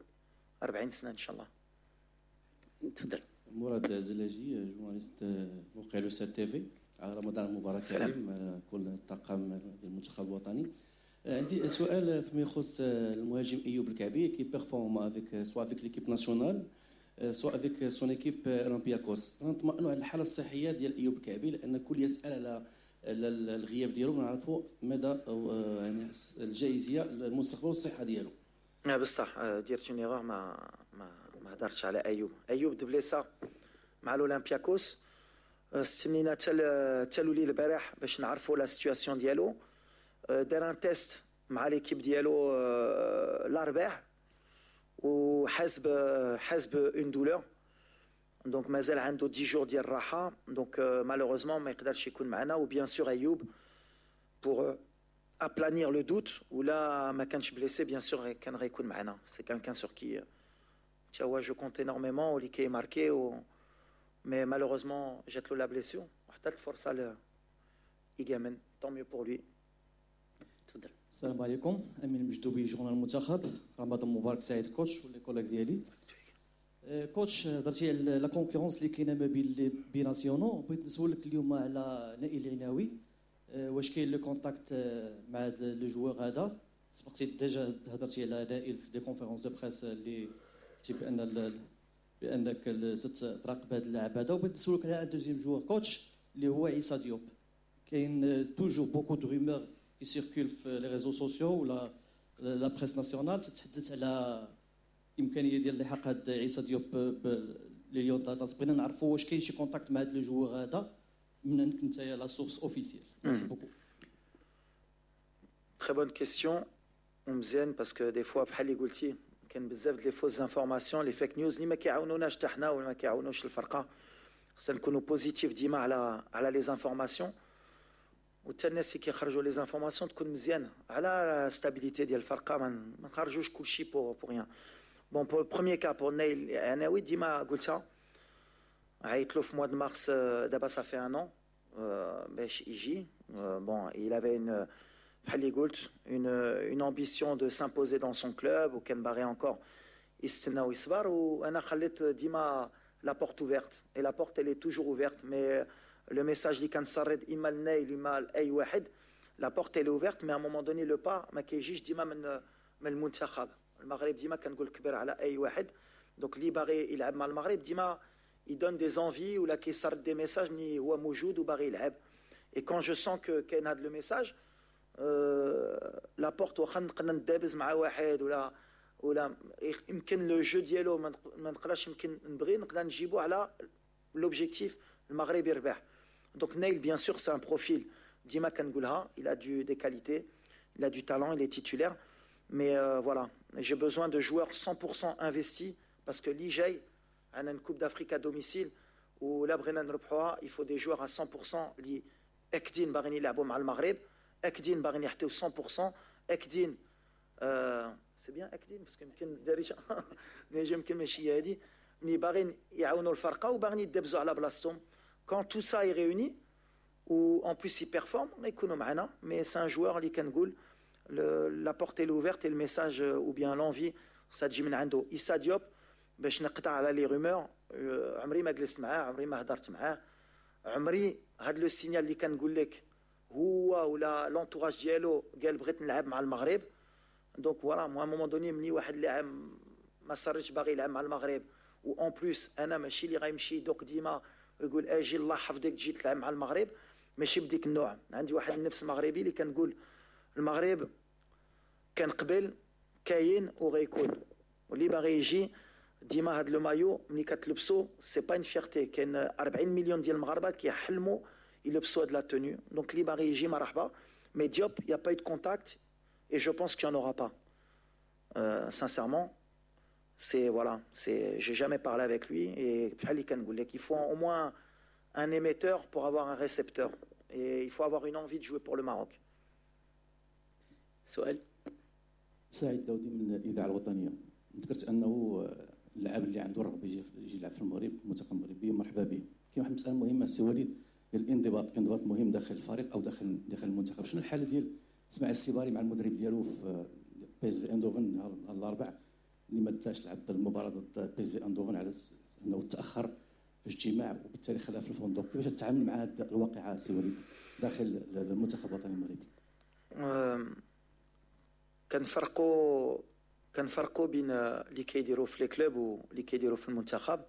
[SPEAKER 9] أربعين سنة ان شاء الله.
[SPEAKER 10] تفضل.
[SPEAKER 17] مراد زلاجي، journaliste موقع لو سات تي في. رمضان مبارك كريم على كل الطاقم ديال المنتخب الوطني. عندي سؤال فيما يخص المهاجم ايوب الكعبي qui performe avec soit avec l'équipe nationale، soit avec son équipe اولمبياكوس. نطمئنوا على الحالة الصحية ديال ايوب الكعبي، لان الكل يسال على الغياب ديالو، نعرفوا مدى يعني الجاهزيه المستقبل والصحة ديالو.
[SPEAKER 9] بصح درت une erreur، ما ما ما هضرتش على ايوب. ايوب تبليسا مع الاولمبياكوس، استنينا حتى حتى لولي البارح باش نعرفوا la situation ديالو. دار un test مع l'équipe ديالو الاربع وحاسب حاسب une douleur، donc مازال عنده dix jours ديال الراحه، donc malheureusement ما يقدرش يكون معنا. و bien sûr ايوب pour aplanir le doute، ولا ما كانش blessé، bien sûr كان غيكون معنا. c'est quelqu'un sur qui تا هو je compte énormément واللي كيماركي و mais malheureusement جات له la blessure وحتى الفرصة ل ايغامان، tant mieux pour lui.
[SPEAKER 10] تفضل.
[SPEAKER 18] السلام عليكم، امين مجدوبي، journal المنتخب. رمضان مبارك سعيد coach و les collègues ديالي. coach، هضرتي على la concurrence اللي كاينه ما بين les binationaux. بغيت نسولك اليوم على نائل العناوي، واش كاين le contact مع هذا le joueur هذا؟ سبقتي déjà هضرتي على نائل في des conférences de presse اللي قلتي بان بانك تراقب هذا اللاعب هذا. وبغيت نسولك على deuxième joueur coach اللي هو عيسى ديوب. كاين toujours beaucoup de rumeurs qui circulent في les réseaux sociaux ولا la presse nationale تتحدث على امكانية ديال لحاق هاد عيسى ديوب les Lions d'Atlas. بغينا نعرفوا واش كاين شي contact مع هاد le joueur هذا من عندك انت la source officielle. merci beaucoup.
[SPEAKER 9] Très bonne question. ومزيان parce que des fois بحال اللي قلتي كاين بزاف les fausses informations، les fake news اللي ما كيعاونوناش حتى حنا ولا ما كيعاونوش الفرقه. خصنا نكونوا positifs ديما على على les informations، وحتى الناس اللي كيخرجوا les informations تكون مزيانه على stabilité ديال الفرقه، ما نخرجوش كلشي pour pour rien. bon، pour premier cas، pour نايل عناوي، ديما قلتها، عيطت له في mois de mars، دابا ça fait un an، باش يجي. bon، il avait une بحال اللي قلت une une ambition de s'imposer dans son club، وكان باغي encore يستنى ويصبر، وانا خليت ديما la porte ouverte et la porte elle est toujours ouverte. mais le message اللي كنسرد اما لنايل اما لاي واحد، la porte elle est ouverte، mais à un moment donné le pas ما كيجيش ديما من من المنتخب المغرب. ديما كنقول كبير على اي واحد، donc اللي باغي يلعب مع المغرب ديما il donne des envies ولا كيسرد des messages ملي هو موجود وباغي يلعب. et quand je sens que كاين هذا le message، la porte، واخا نقدر ندابز مع واحد ولا ولا يمكن le jeu ديالو ما نقدرش يمكن نبغي، نقدر نجيبو على l'objectif المغرب يربح. donc نايل bien sûr c'est un profil، ديما كنقولها، il a du des qualités، il a du talent، il est titulaire، mais euh, voilà، j'ai besoin de joueurs cent pour cent investis parce que اللي جاي عندنا une coupe d'Afrique à domicile، ولا بغينا نربحوها il faut des joueurs à cent pour cent اللي اكدين باغيين يلعبوا مع المغرب، اكدين باغيين يعطيو مية في المية، اكدين، c'est bien اكدين، parce que يمكن دارجه يمكن ماشي هي هذه، ملي باغيين يعاونوا الفرقة وباغيين يدبزوا على بلاصتهم. quand tout ça est réuni و en plus ils performent، يكونوا معنا. mais c'est un joueur اللي كنقول la porte est ouverte et le message ou bien l'envie خصها تجي من عنده. إيسا ديوب، باش نقطع على les rumeurs، عمري ما جلست معاه، عمري ما هضرت معاه، عمري هاد le signal اللي كنقول لك هو ولا l'entourage ديالو قال بغيت نلعب مع المغرب. donc voilà، moi à un moment donné ملي واحد اللاعب ما صرش باغي يلعب مع المغرب، و en plus انا ماشي اللي غيمشي يدق ديما ويقول اجي الله حفظك تجي تلعب مع المغرب، ماشي بديك النوع. عندي واحد النفس مغربي اللي كنقول المغرب كان قبل، كاين وغيكون، واللي باغي يجي ديما هاد le maillot ملي كتلبسو c'est pas une fierté، كاين أربعين مليون ديال المغاربة كيحلموا يلبسوا هاد la tenue. donc اللي باغي يجي مرحبا. mais ديوب y a pas eu de contact et je pense qu'il y en aura pas. Euh, sincèrement, c'est voilà, c'est j'ai jamais parlé avec lui et بحال اللي كنقول لك il faut au moins un émetteur pour avoir un récepteur et il faut avoir une envie de jouer pour le Maroc.
[SPEAKER 10] سؤال.
[SPEAKER 17] سعيد داودي من الاذاعة الوطنية. ذكرت انه اللاعب اللي عنده الرغبة يجي يجي يلعب في المغرب، المنتخب المغربي، مرحبا به. كاين واحد المسالة مهمة سي وليد، الانضباط، انضباط مهم داخل الفريق او داخل داخل المنتخب. شنو الحالة ديال اسماعيل السيباري مع المدرب ديالو في بي اس في اندوفن نهار الاربع اللي ما داش لعب المباراة ضد بي اس في اندوفن على انه تاخر في اجتماع وبالتالي خلاه في الفندق؟ كيفاش تتعامل مع هذه الواقعة سي وليد داخل المنتخب الوطني المغربي؟
[SPEAKER 9] كنفرقوا كنفرقوا بين اللي كيديروا في les clubs واللي كيديروا في المنتخب.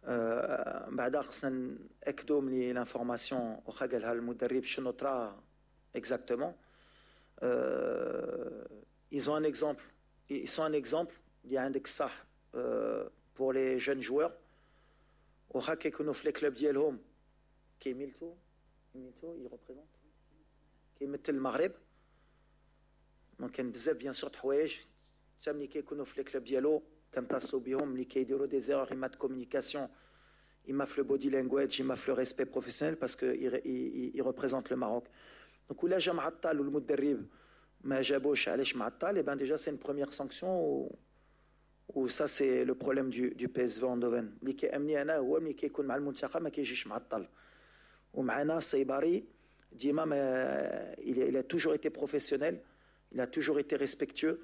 [SPEAKER 9] أه بعدا خصنا ناكدوا من l'information واخا قالها المدرب شنو طرا exactement. ils ont un exemple ils sont un exemple اللي عندك صح pour les jeunes joueurs، واخا كيكونوا في les clubs ديالهم كيميلتو كيميلتو ils représentent كيمثل المغرب. donc كاين بزاف bien sûr حوايج حتى ملي كيكونوا في les clubs ديالو كنتصلوا بهم ملي كيديروا des erreurs، اما de communication، اما في le body language، اما في le respect professionnel، parce que il représente le Maroc. donc ولا جا معطل والمدرب ما جابوش علاش معطل، eh ben déjà c'est une première sanction و ça c'est le problème du du PSV Eindhoven. اللي كيامني انا هو ملي كيكون مع المنتخب ما كيجيش معطل، ومعنا الصيباري ديما ما il a toujours été professionnel، il a toujours été respectueux،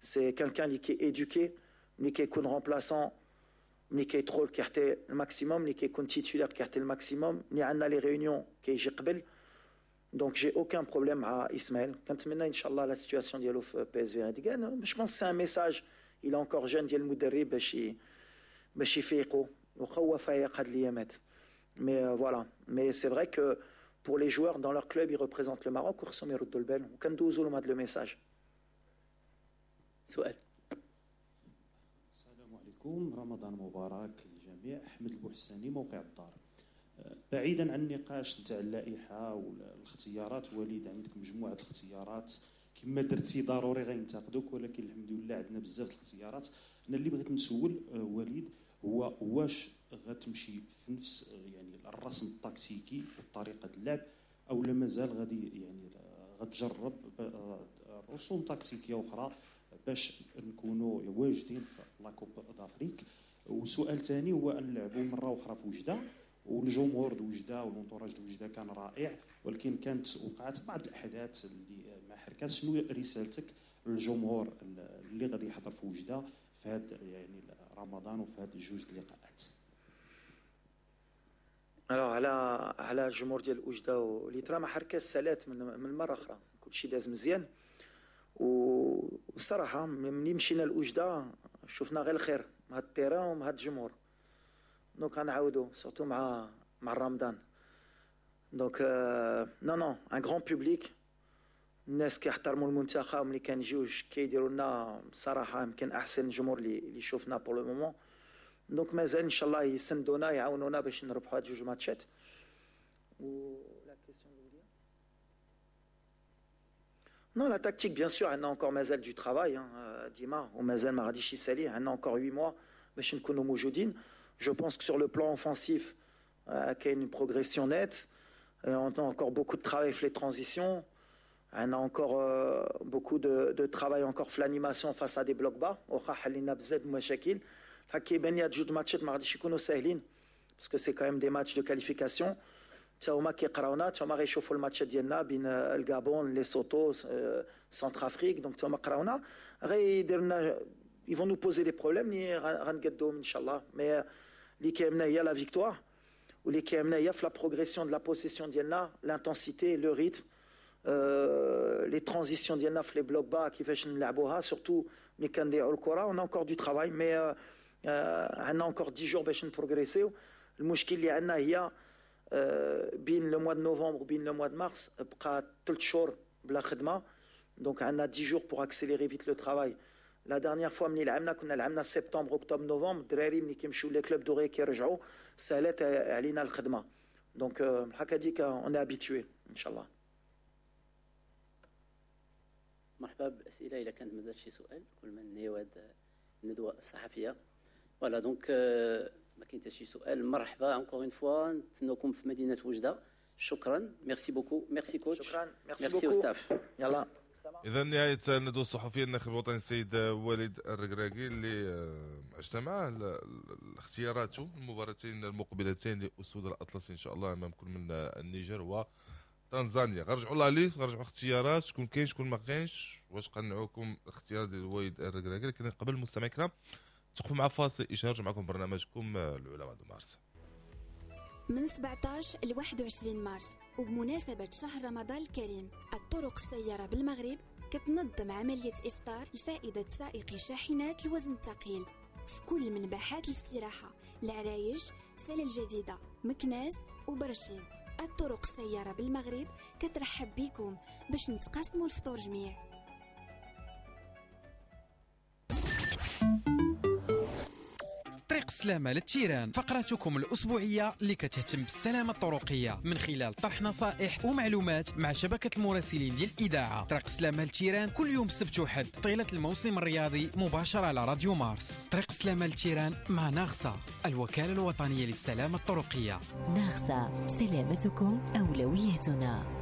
[SPEAKER 9] c'est quelqu'un qui est éduqué. ملي كيكون remplaçant، ملي كيدخل كيعطي ال maximum، ملي كيكون titulaire كيعطي ال maximum، ملي عندنا les réunions كيجي قبل. donc j'ai aucun problème مع اسماعيل. كنتمنى ان شاء الله la situation ديالو في PSV هذيك، je pense c'est un message، il est encore jeune، ديال المدرب باش باش يفيقوا، واخا هو فايق هاد الايامات. mais voilà، mais c'est vrai que pour les joueurs dans leur club ils représentent le Maroc وخصهم يردوا البال، وكندوزو لهم هذا le message.
[SPEAKER 10] سؤال.
[SPEAKER 19] السلام عليكم، رمضان مبارك للجميع. احمد البوحساني، موقع الدار. بعيدا عن النقاش نتاع اللائحة والاختيارات، وليد عندك مجموعة الاختيارات، كما درتي ضروري غينتقدوك، ولكن الحمد لله عندنا بزاف الاختيارات. انا اللي بغيت نسول آه، وليد هو واش غتمشي في نفس يعني الرسم التكتيكي وطريقه اللعب، او لا مازال غادي يعني غتجرب آه، رسوم تكتيكية اخرى باش نكونوا واجدين في la Coupe d'Afrique؟ وسؤال ثاني هو ان نلعبوا مرة اخرى في وجده، والجمهور د وجده و l'entourage د وجده كان رائع، ولكن كانت وقعت بعض الاحداث اللي مع حركات. شنو رسالتك للجمهور اللي غادي يحضر في وجده في هذا يعني رمضان وفي هذه جوج اللقاءات؟
[SPEAKER 9] alors على على الجمهور ديال وجده واللي ترى مع حركات سالات من من مرة اخرى، كلشي داز مزيان. والصراحة ملي مشينا لوجده شفنا غير الخير مع ال terrain ومع الجمهور، donc غنعاودو surtout مع مع رمضان. donc non non un grand public، الناس كيحترموا المنتخب، ملي كنجيو كيديروا لنا بصراحة يمكن احسن جمهور اللي اللي شفنا pour le moment. donc مازال ان شاء الله يسندونا، يعاونونا باش نربحوا هاد جوج ماتشات. و la question الاولى، Non, la tactique, bien sûr, on a encore مازال du travail, hein, ديما ومازال ما غاديش يسالي، عندنا encore huit mois باش نكونوا موجودين. Je pense que sur le plan offensif, كاين une progression nette. On a encore beaucoup de travail في les transitions. On a encore euh, beaucoup de, de travail encore في l'animation face à des blocs bas. واخا حلينا بزاف المشاكل. كيبان لي هاد جوج ماتشات ما غاديش يكونوا ساهلين parce que c'est quand même des matchs de qualification. تا هما كيقراونا، تا هما غيشوفوا الماتشات ديالنا بين الغابون، ليسوتو، Centrafrique. donc تا هما قراونا، غيدير لنا ils vont nous poser des problèmes اللي غنقدوهم ان شاء الله. mais اللي كيهمنا هي la victoire، واللي كيهمنا هي في la progression de la possession ديالنا، l'intensité، le rythme، les transitions ديالنا في les blocs bas، كيفاش نلعبوها، surtout ملي كنضيعوا الكره. on a encore du travail، mais عندنا encore dix jours باش نبروغريسيو. المشكل اللي عندنا هي بين le mois de novembre وبين le mois de mars بقى ثلاث شهور بلا خدمه، donc عندنا dix jours pour accélérer vite le travail. la dernière fois ملي لعبنا كنا لعبنا septembre، octobre، novembre، الدراري ملي كيمشيو les clubs دغيا كيرجعوا، سهلت علينا الخدمه. donc بحال هذيك on est habitué ان شاء الله.
[SPEAKER 10] مرحبا بالاسئلة اذا كانت مازال شي سؤال قبل ما ننهيو هذه الندوة الصحفيه. voilà، donc ما كاين حتى شي سؤال. مرحبا encore une fois، نتسناوكم في مدينة وجده. شكرا، merci beaucoup، merci coach.
[SPEAKER 9] شكرا، merci
[SPEAKER 10] merci
[SPEAKER 9] beaucoup.
[SPEAKER 10] staff.
[SPEAKER 9] يلا.
[SPEAKER 3] اذا نهاية الندوة الصحفية الناخب الوطني السيد وليد الركراكي اللي آه، عشنا معه اختياراته المباراتين المقبلتين لاسود الاطلس ان شاء الله امام كل من النيجر وتنزانيا. غنرجعوا la liste، غنرجعوا اختيارات، شكون كاين شكون ما كاينش، واش قنعوكم الاختيار ديال وليد الركراكي. لكن قبل المستمعين الكرام توقفوا مع فاصل اشهار معكم برنامجكم العلماء دو مارس.
[SPEAKER 20] من سبعطاش ل واحد وعشرين مارس وبمناسبة شهر رمضان الكريم، الطرق السيارة بالمغرب كتنظم عملية إفطار لفائدة سائقي شاحنات الوزن الثقيل في كل من باحات الاستراحة العرايش، سلا الجديدة، مكناس وبرشيد. الطرق السيارة بالمغرب كترحب بكم باش نتقاسموا الفطور جميع.
[SPEAKER 6] طريق السلامة لل terrain، فقرتكم الأسبوعية اللي كتهتم بالسلامة الطرقية من خلال طرح نصائح ومعلومات مع شبكة المراسلين ديال الإذاعة. طريق السلامة لل terrain كل يوم سبت وحد طيلة الموسم الرياضي مباشرة على راديو مارس. طريق السلامة لل terrain مع ناغسا، الوكالة الوطنية للسلامة الطرقية.
[SPEAKER 1] ناغسا، سلامتكم أولويتنا.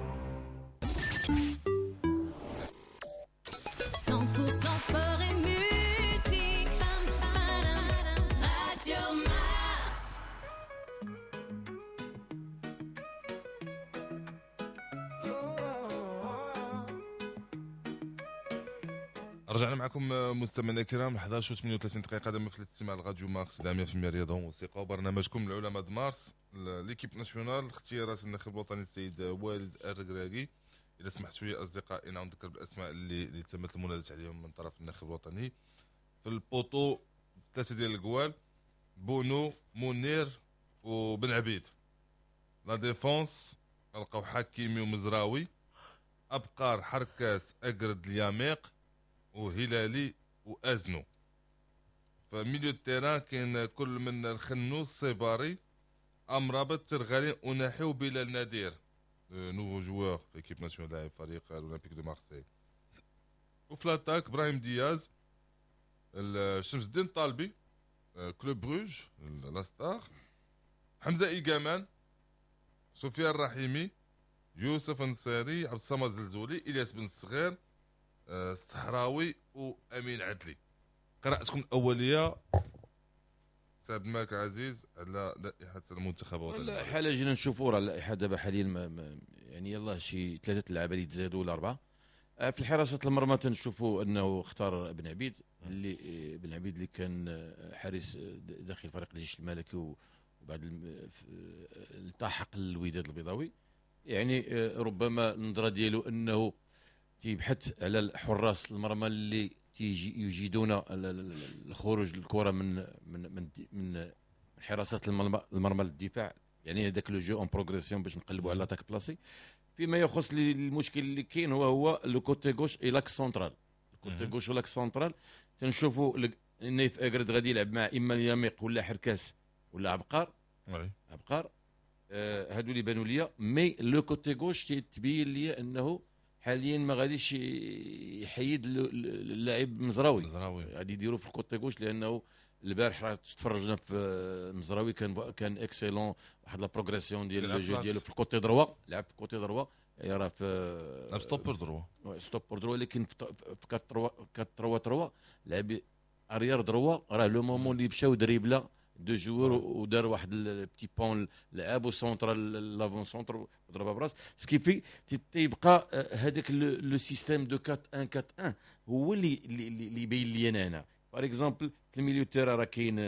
[SPEAKER 3] رجعنا معكم مستمعينا الكرام أحد عشر وثمانية وثلاثين دقيقة دائما في الاستماع لراديو مارس مية بالمية رياضة وموسيقى وبرنامجكم العلماء د مارس. l'équipe nationale، اختيارات الناخب الوطني السيد والد الركراكي. اذا سمحتوا لي اصدقائي نعاود نذكر بالاسماء اللي اللي تمت المناداه عليهم من طرف الناخب الوطني. في ال poteau ثلاثة ديال الجوال، بونو، منير وبن عبيد. la défense لقاو حكيمي ومزراوي، ابقار، حركاس، اقرد، الياميق وهلالي وازنو. ف milieu terrain كاين كل من الخنوس، الصيباري، امرابط، ترغالي، وناحي وبلال نادير، nouveau joueur في l'équipe nationale لاعب فريق الاولمبيك de Marseille. وفي l'attaque ابراهيم دياز، شمس الدين طالبي، Club Brugge la star، حمزة ايغامان، سفيان الرحيمي، يوسف انصاري، عبد الصمد زلزولي، الياس بن الصغير، الصحراوي وامين عدلي. قراءتكم الاولية سي عبد الملك عزيز على لائحة المنتخب الوطني.
[SPEAKER 5] اللائحة لا جينا نشوفوا راه اللائحة دابا حاليا ما يعني يلاه شي ثلاثة اللعابه اللي تزادوا ولا اربعة. في حراسة المرمى تنشوفوا انه اختار بن عبيد اللي بن عبيد اللي كان حارس داخل فريق الجيش الملكي وبعد التحق الوداد البيضاوي. يعني ربما النظرة ديالو انه تيبحث على الحراس المرمى اللي تيجي يجيدون الخروج الكره من من من من حراسة المرمى للدفاع، يعني هذاك le jeu en progression باش نقلبوا على l'attaque placée. فيما يخص المشكل اللي كاين هو هو le côté gauche et l'axe central. ال côté gauche و l'axe central تنشوفوا نايف اكرد غادي يلعب مع اما اليميق ولا حركاس ولا عبقار. عبقار آه هادو اللي بانوا ليا. mais le côté gauche تبين لي انه حاليا ما غاديش يحيد اللاعب مزراوي، غادي يديرو في ال côté gauche لانه البارح راه تفرجنا في مزراوي كان كان excellent، واحد la progression ديال le jeu ديالو في ال côté droit، لعب في ال côté droit راه في
[SPEAKER 3] لعب stoppeur droit،
[SPEAKER 5] stoppeur droit، لكن في أربعة ثلاثة ثلاثة لعب arrière droit. راه le moment اللي مشاو دريبلا deux joueurs ودار واحد ال petit pont لعب و centre l'avant-centre وضربها براس ce qui fait تيبقى هذاك le système de أربعة واحد أربعة واحد هو اللي اللي يبين لي انا هنا. par exemple في ال milieu terrain راه كاين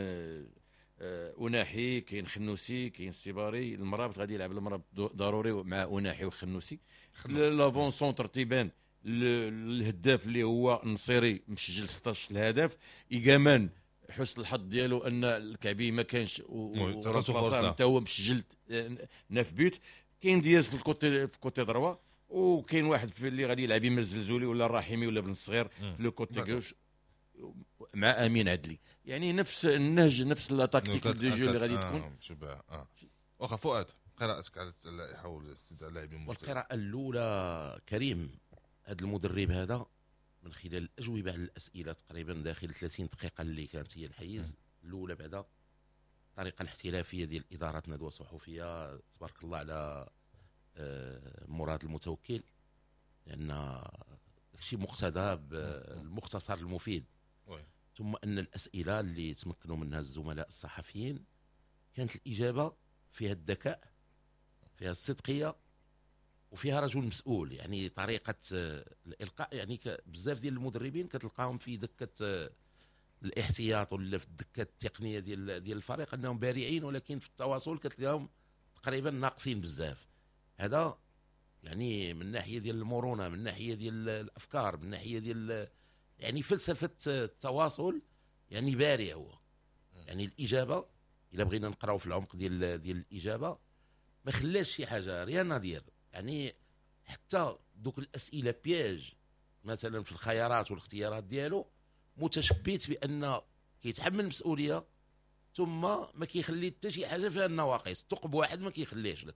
[SPEAKER 5] أناحي، كاين خنوسي، كاين السيباري، المرابط غادي يلعب المرابط ضروري مع أناحي وخنوسي. l'avant-centre تيبان الهداف اللي هو النصيري مسجل ستة عشر الهدف. إيغامان حسن الحظ ديالو ان الكعبي ما كانش و حتى هو مسجل neuf buts. كاين دياز في ال côté في côté droit، وكاين واحد في اللي غادي يلعب اما الزلزولي ولا الرحيمي ولا بن الصغير في le côté gauche مع امين عدلي. يعني نفس النهج، نفس la tactique de jeu اللي غادي تكون.
[SPEAKER 3] شبه اه واخا فؤاد، قراءتك على اللائحة والاستدعاء اللاعبين
[SPEAKER 4] المستقبل. والقراءة الاولى كريم، هذا المدرب هذا من خلال الاجوبة على الاسئلة تقريبا داخل ثلاثين دقيقة اللي كانت هي الحيز الاولى، بعدا الطريقة الاحترافية ديال ادارة ندوه صحفية تبارك الله على مراد المتوكل، لان داكشي مقتضى بالمختصر المفيد. ثم ان الاسئلة اللي تمكنوا منها الزملاء الصحفيين كانت الاجابة فيها الذكاء، فيها الصدقيه، وفيها رجل مسؤول. يعني طريقه الالقاء، يعني بزاف ديال المدربين كتلقاهم في دكه الاحتياط ولا في الدكة التقنية ديال ديال الفريق انهم بارعين، ولكن في التواصل كتلقاهم تقريبا ناقصين بزاف. هذا يعني من ناحية ديال المرونة، من ناحية ديال الافكار، من ناحية ديال يعني فلسفة التواصل، يعني بارع هو. يعني الاجابة الا بغينا نقراو في العمق ديال ديال الاجابة ما خلاش شي حاجة rien à dire. يعني حتى دوك الاسئلة piège مثلا في الخيارات والاختيارات ديالو متشبت بان كيتحمل المسؤولية، ثم ما كيخلي حتى شي حاجة فيها النواقص، ثقب واحد ما كيخليهش لك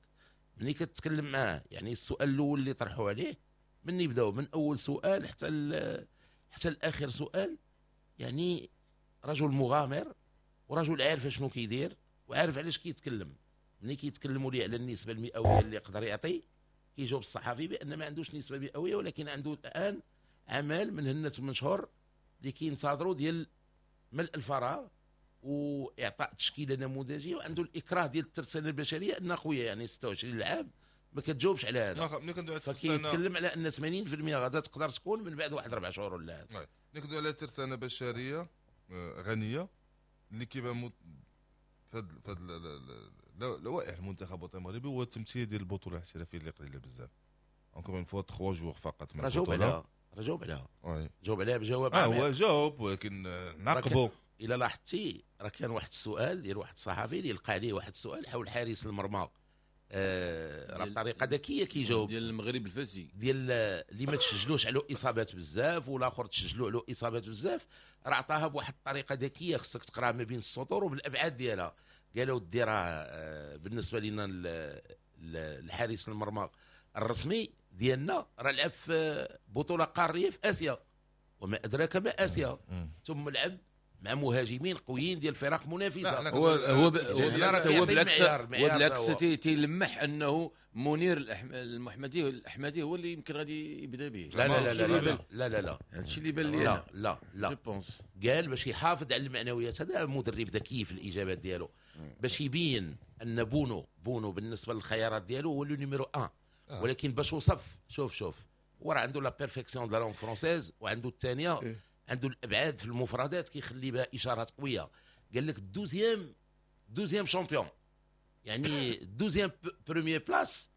[SPEAKER 4] ملي كتكلم معاه. يعني السؤال الاول اللي طرحوا عليه من يبداو من اول سؤال حتى حتى الاخر سؤال، يعني رجل مغامر ورجل عارف شنو كيدير وعارف علاش كيتكلم. ملي كيتكلموا ليه على النسبة المئويه اللي يقدر يعطي، كيجاوب الصحفي بان ما عندوش نسبه مئوية، ولكن عنده الان عمل من هنا ثمان شهور اللي كينتظروا ديال ملء الفراغ واعطاء تشكيله نموذجيه، وعنده الاكراه ديال الترسانه البشرية ان خويا يعني ستة وعشرين لعاب ما كتجاوبش على هذا. فكيتكلم على ان ثمانين بالمئة غادا تقدر تكون من بعد واحد اربع شهور ولا هذا.
[SPEAKER 3] ملي كندوي على ترسانه بشرية غنية اللي كيبان في هاد لوائح المنتخب الوطني المغربي هو التمثيل ديال البطولة الاحترافية اللي قليله بزاف. encore une fois ثلاثة joueurs فقط من
[SPEAKER 4] البطولة. جاوب عليها، جاوب عليها، جاوب عليها بجواب
[SPEAKER 3] اه هو جاوب، ولكن نعقبوا.
[SPEAKER 4] الا لاحظتي راه كان واحد السؤال ديال واحد الصحفي اللي لقى عليه واحد السؤال حول حارس المرمى، آه راه بطريقة ذكية كيجاوب
[SPEAKER 5] ديال المغرب الفاسي
[SPEAKER 4] ديال اللي ما تسجلوش عليه اصابات بزاف والاخر تسجلوا عليه اصابات بزاف، راه عطاها بواحد الطريقة ذكية خصك تقراها ما بين السطور وبالابعاد ديالها. قالوا ودي راه بالنسبة لنا الحارس المرمى الرسمي ديالنا راه لعب في بطوله قارية في اسيا وما ادراك ما اسيا، ثم لعب مع مهاجمين قويين ديال فرق منافسه.
[SPEAKER 5] هو هو هو بالعكس، هو بالعكس تيلمح انه منير المحمدي الاحمدي هو اللي يمكن غادي يبدا به.
[SPEAKER 4] لا لا لا لا لا لا لا
[SPEAKER 5] هادشي اللي بان لي.
[SPEAKER 4] لا لا لا قال باش يحافظ على المعنويات. هذا مدرب ذكي في الاجابات ديالو باش يبين ان بونو بونو بالنسبة للخيارات ديالو هو le numéro واحد، ولكن باش وصف شوف شوف هو راه عنده la perfection de la langue française، وعنده الثانية عنده الابعاد في المفردات كيخلي بها اشارات قوية. قال لك deuxième deuxième champion، يعني deuxième première place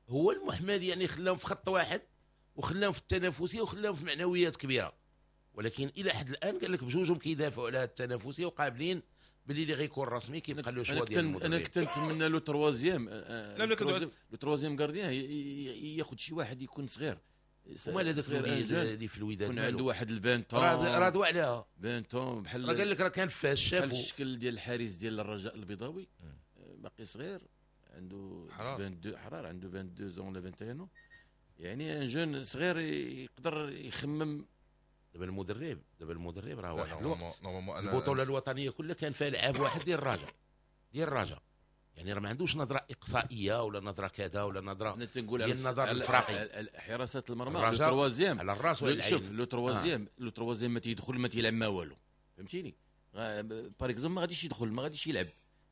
[SPEAKER 4] هو المحمدي، يعني خلاهم في خط واحد وخلاهم في التنافسية وخلاهم في معنويات كبيرة. ولكن الى حد الان قال لك بجوجهم كيدافعوا على التنافسية وقابلين باللي اللي غيكون رسمي كيبقى له choix ديال المدرب.
[SPEAKER 5] انا كنت نتمنى le troisième، le troisième gardien ياخذ شي واحد يكون صغير.
[SPEAKER 4] ومال هذاك الوليد اللي في الوداد
[SPEAKER 5] يكون عنده واحد عشرين
[SPEAKER 4] راه دوا عليها
[SPEAKER 5] عشرين بحال
[SPEAKER 4] راه قال لك راه كان فاش شافو
[SPEAKER 5] الشكل ديال الحارس ديال الرجاء البيضاوي باقي صغير عنده اثنين وعشرين حرار عنده اثنين وعشرين ولا واحد وعشرين، يعني un jeune صغير يقدر يخمم.
[SPEAKER 4] دابا المدرب دابا المدرب راه واحد الوقت البطولة الوطنية كلها كان فيها لعاب واحد ديال الرجاء ديال الرجاء، يعني راه ما عندوش نظره اقصائيه ولا نظره كذا ولا نظره
[SPEAKER 5] ديال
[SPEAKER 4] النظر الافراقي.
[SPEAKER 5] حراسة المرمى le troisième
[SPEAKER 4] على الراس ولا العين.
[SPEAKER 5] شوف le troisième le troisième ما تيدخل ما تيلعب ما والو، فهمتيني؟ par exemple ما غاديش يدخل ما غاديش يلعب،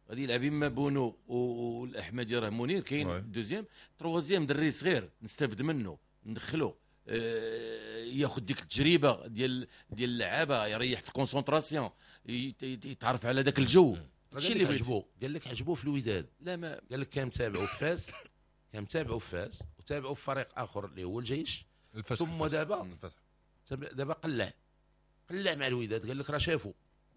[SPEAKER 5] غادي يلعب اما بونو والاحمدي راه منير كاين deuxième troisième دري صغير نستافد منه ندخلو ياخذ ديك التجربة ديال ديال اللعابه، يريح في ال concentration، يتعرف على ذاك الجو.
[SPEAKER 4] هادشي اللي عجبو قال لك عجبو في الوداد.
[SPEAKER 5] لا ما
[SPEAKER 4] قال لك كان متابعو في فاس، كان متابعو في فاس وتابعو في فريق اخر اللي هو الجيش، ثم دابا دابا قلع قلع مع الوداد. قال لك راه شافو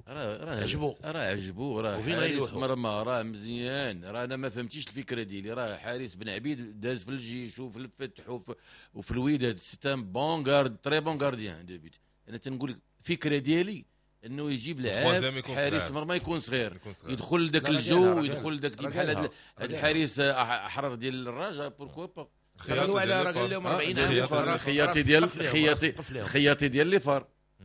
[SPEAKER 5] راه راه
[SPEAKER 4] عجبو
[SPEAKER 5] راه عجبو راه حارس مرمى راه مزيان. راه انا ما فهمتيش الفكرة ديالي، راه حارس بن عبيد داز في الجيش وفي الفتح وفي, وفي الوداد، c'est un bon gard très bon gardien de but. انا تنقول لك الفكرة ديالي انه يجيب لعاب حارس مرمى يكون صغير، يدخل ذاك الجو ويدخل ذاك بحال هذا الحارس احرر ديال الرجاء pourquoi pas.
[SPEAKER 4] على راه قال لهم أربعين عام
[SPEAKER 5] خياطي ديال خياطي خياطي ديال les FAR،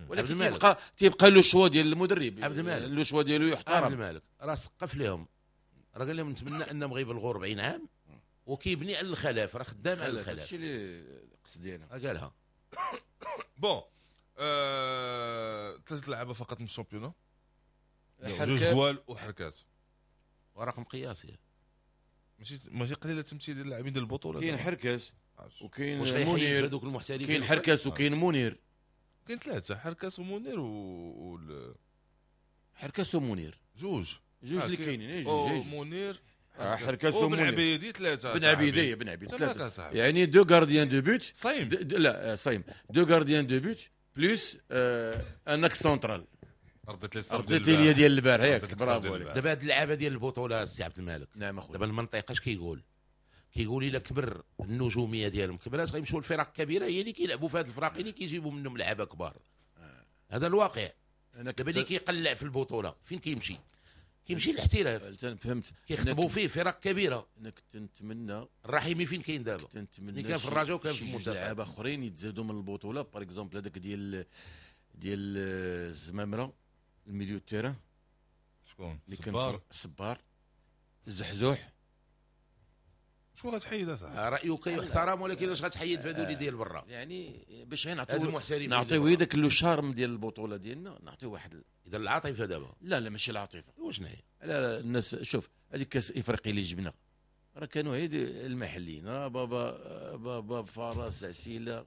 [SPEAKER 5] ولكن تيبقى تيبقى le choix ديال المدرب
[SPEAKER 4] عبد المالك،
[SPEAKER 5] le choix ديالو يحترم.
[SPEAKER 4] عبد المالك راه سقف لهم، راه قال لهم نتمنى انهم غيبلغوا أربعين عام وكيبني على الخلاف، راه خدام على الخلاف.
[SPEAKER 5] هادشي اللي قصدي انا
[SPEAKER 4] قالها.
[SPEAKER 3] bon ثلاثة لعابه فقط من ال championnat، جوج جوال وحركات،
[SPEAKER 4] ورقم قياسي
[SPEAKER 3] ماشي ماشي قليله التمثيل ديال اللاعبين ديال البطولة.
[SPEAKER 5] كاين حركاس وكاين منير،
[SPEAKER 4] هذوك المحترفين
[SPEAKER 5] كاين حركاس وكاين منير،
[SPEAKER 3] كاين ثلاثة، حركاس ومنير و
[SPEAKER 5] حركاس ومنير
[SPEAKER 3] جوج
[SPEAKER 5] جوج اللي كاينين، جوج
[SPEAKER 3] منير
[SPEAKER 5] حركاس ومنير
[SPEAKER 3] بن عبيدي ثلاثة،
[SPEAKER 5] بن عبيدي بن عبيدي ثلاثة، يعني deux gardiens de but
[SPEAKER 3] صايم،
[SPEAKER 5] لا صايم deux gardiens de but plus un axe central.
[SPEAKER 3] رديت لي
[SPEAKER 5] رديت لي ديال البارح ياك، برافو عليك.
[SPEAKER 4] دابا هاد اللعابه ديال البطولة السي عبد الملك،
[SPEAKER 5] نعم اخويا،
[SPEAKER 4] دابا المنطقة اش كيقول؟ كيقول الا كبر النجومية ديالهم كبرات غيمشيو لفرق كبيرة هي اللي كيلعبوا في هاد الفرق اللي كيجيبوا منهم لعابه كبار. هذا الواقع. دابا اللي كيقلع في البطولة فين كيمشي؟ كيمشي للاحتراف.
[SPEAKER 5] فهمت،
[SPEAKER 4] كيخطبوا فيه فرق كبيرة.
[SPEAKER 5] انا كنت نتمنى
[SPEAKER 4] الرحيمي فين كاين دابا؟
[SPEAKER 5] كنت
[SPEAKER 4] كان في الرجاء وكان في المنتخب.
[SPEAKER 5] لعابه اخرين يتزادوا من البطولة، par exemple هذاك ديال ديال الزمامره ال milieu terrain،
[SPEAKER 3] شكون؟ صبار
[SPEAKER 5] صبار الزحزوح.
[SPEAKER 3] شكون غتحيد اصاحبي؟
[SPEAKER 4] رايك يحترم، ولكن اش غتحيد في هذو اللي ديال برا؟
[SPEAKER 5] يعني باش غير نعطيو نعطيو داك le charme ديال البطولة ديالنا، نعطيو واحد.
[SPEAKER 4] اذا العاطفة دابا؟
[SPEAKER 5] لا لا ماشي العاطفة.
[SPEAKER 4] وشنو هي؟
[SPEAKER 5] لا لا الناس شوف هذيك كاس افريقيا اللي جبنا راه كانوا غير المحليين، راه بابا بابا فرس عسيله.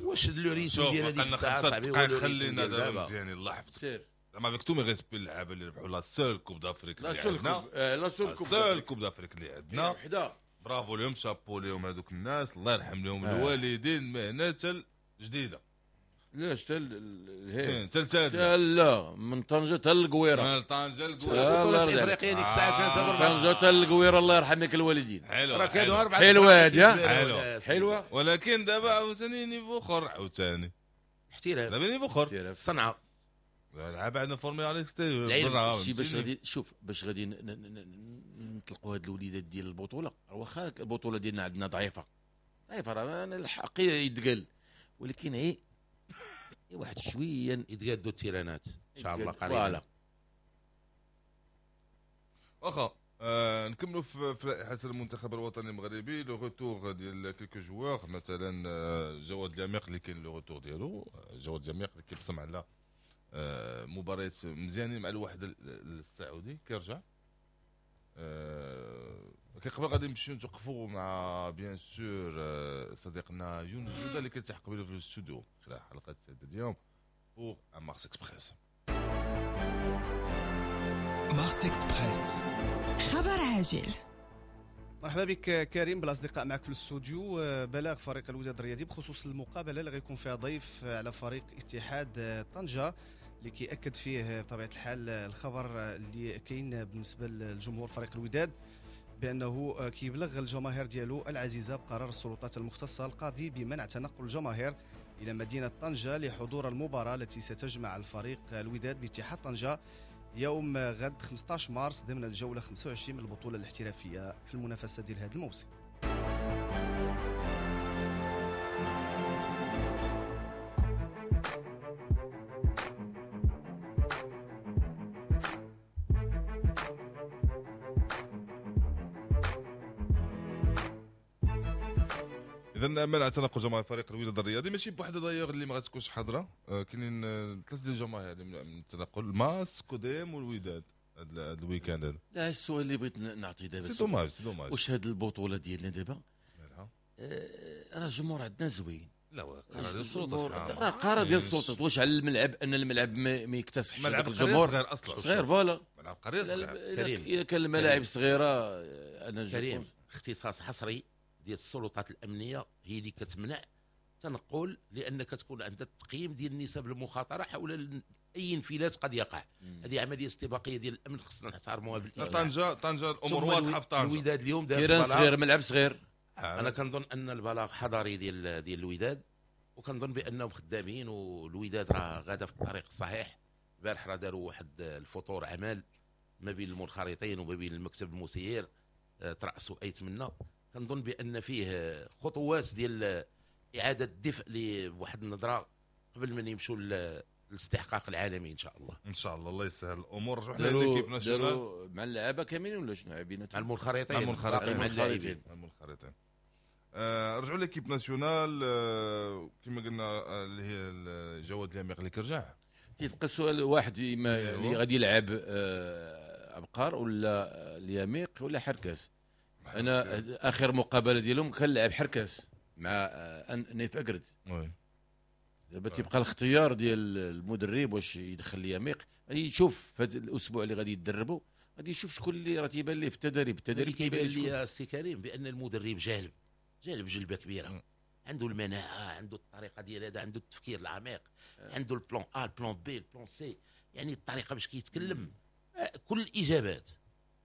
[SPEAKER 4] واش le rythme ديال هذيك الساعة صاحبي؟
[SPEAKER 3] هو خلينا دابا مزيان الله يحفظك. زعما avec tous mes respects اللعابه اللي ربحوا la seule Coupe d'Afrique اللي عندنا،
[SPEAKER 5] la seule Coupe
[SPEAKER 3] seule Coupe d'Afrique اللي عندنا
[SPEAKER 5] وحده،
[SPEAKER 3] برافو لهم، شابو لهم هذوك الناس، الله يرحم لهم الوالدين. مهنة جديدة
[SPEAKER 5] لاش حتى الهي
[SPEAKER 3] حتى
[SPEAKER 5] لا من طنجه حتى القويره،
[SPEAKER 3] من طنجه للقويره
[SPEAKER 4] البطولة الافريقية ديك الساعة كانت
[SPEAKER 5] طنجه حتى القويره، الله يرحم لك الوالدين.
[SPEAKER 3] حلو
[SPEAKER 4] راه كانوا اربعة
[SPEAKER 5] حلوة هذه، حلوة،
[SPEAKER 3] ولكن دابا عاوتاني niveau اخر، عاوتاني
[SPEAKER 4] احتراف،
[SPEAKER 3] دابا niveau اخر
[SPEAKER 4] الصنعة،
[SPEAKER 3] لعب عندنا formés على l'extérieur.
[SPEAKER 5] شي باش غادي شوف باش غادي نطلقوا هاد الوليدات ديال البطولة، واخا البطولة ديالنا عندنا ضعيفة ضعيفة راه الحق يتقال، ولكن ايه واحد شوية
[SPEAKER 4] يتقادوا التيرانات ان شاء الله قريبا.
[SPEAKER 3] واخا آه نكملوا في لائحة المنتخب الوطني المغربي. le retour ديال quelques joueurs، مثلا جواد اليميق اللي كاين le retour ديالو، جواد اليميق اللي كيبصم على آه مباريات مزيانين مع الوحدة السعودي كيرجع. آه قبل غادي نمشيو نتوقفوا مع bien sûr آه صديقنا يونس جوده اللي كيلتحق بنا في الاستوديو خلال حلقة اليوم pour Mars Express.
[SPEAKER 2] Mars Express،
[SPEAKER 20] خبر عاجل.
[SPEAKER 21] مرحبا بك كريم بالاصدقاء معك في الاستوديو. بلاغ فريق الوداد الرياضي بخصوص المقابلة اللي غيكون فيها ضيف على فريق اتحاد طنجه، اللي كيأكد فيه بطبيعة الحال الخبر اللي كاين بالنسبة للجمهور فريق الوداد بانه كيبلغ الجماهير ديالو العزيزة بقرار السلطات المختصة القاضي بمنع تنقل الجماهير الى مدينة طنجه لحضور المباراة التي ستجمع الفريق الوداد باتحاد طنجه يوم غد خمسة عشر مارس ضمن الجولة خمسة وعشرين من البطولة الاحترافية في المنافسة ديال هذا الموسم.
[SPEAKER 3] اذا منع تنقل جماهير فريق الوداد الرياضي ماشي بوحده دايوغ اللي ما غاتكونش حاضره، كاينين ثلاثة ديال الجماهير اللي من التنقل، ماس كوديم والوداد هذا ال week-end هذا.
[SPEAKER 5] لا السؤال اللي بغيت نعطي دابا
[SPEAKER 3] c'est dommage c'est dommage،
[SPEAKER 5] واش هذه البطولة ديالنا دابا راه الجمهور عندنا زوين؟
[SPEAKER 3] لا قرار ديال السلطات،
[SPEAKER 5] راه قرار ديال السلطات. واش على الملعب ان الملعب ما يكتسحش
[SPEAKER 3] ملعب الجمهور صغير اصلا،
[SPEAKER 5] صغير voilà
[SPEAKER 3] ملعب قرية صغير.
[SPEAKER 5] اذا كان الملاعب صغيرة انا
[SPEAKER 4] كريم اختصاص حصري ديال السلطات الامنية هي اللي كتمنع تنقل، لان كتكون عندها التقييم ديال نسب المخاطرة حول اي انفلات قد يقع. هذه عملية استباقية ديال الامن خصنا نحترموها
[SPEAKER 3] بالإجماع. طنجه طنجه الامور واضحة في طنجه.
[SPEAKER 4] الوداد اليوم دار
[SPEAKER 5] terrain صغير، ملعب صغير.
[SPEAKER 4] انا كنظن ان البلاغ حضاري ديال ديال الوداد، وكنظن بانهم خدامين والوداد راه غاده في الطريق الصحيح. البارح راه داروا واحد الفطور عمل ما بين المنخرطين وما بين المكتب المسير، ترأسوا ايت منا. كنظن بان فيه خطوات ديال اعاده الدفء لواحد النظرة قبل من يمشوا للاستحقاق العالمي ان شاء الله.
[SPEAKER 3] ان شاء الله الله يسهل الامور. رجعوا حنا l'équipe
[SPEAKER 5] nationale مع اللعابه كاملين ولا شنو عبينا؟
[SPEAKER 4] مع المنخرطين،
[SPEAKER 3] مع المنخرطين، مع المنخرطين. آه، رجعوا l'équipe nationale، آه، كما قلنا آه، اللي هي جواد اليميق اللي كرجع.
[SPEAKER 5] تيبقى السؤال واحد، اللي غادي يلعب آه، عبقار ولا اليميق ولا حركاس؟ انا اخر مقابله ديالهم كان لعب حركاس مع نايف اكرد. دابا تيبقى الاختيار ديال المدرب واش يدخل اليميق. غادي يشوف في هذا الاسبوع اللي غادي يدربوا، غادي يشوف شكون اللي راه تيبان ليه في التدريب. التدريب
[SPEAKER 4] كيبان لي السي كريم بان المدرب جالب جالب جلبه كبيرة. م. عنده المناعة، عنده الطريقة ديال هذا، عنده التفكير العميق، عنده ال plan A، ال plan B، ال plan C، يعني الطريقة باش كيتكلم كل الاجابات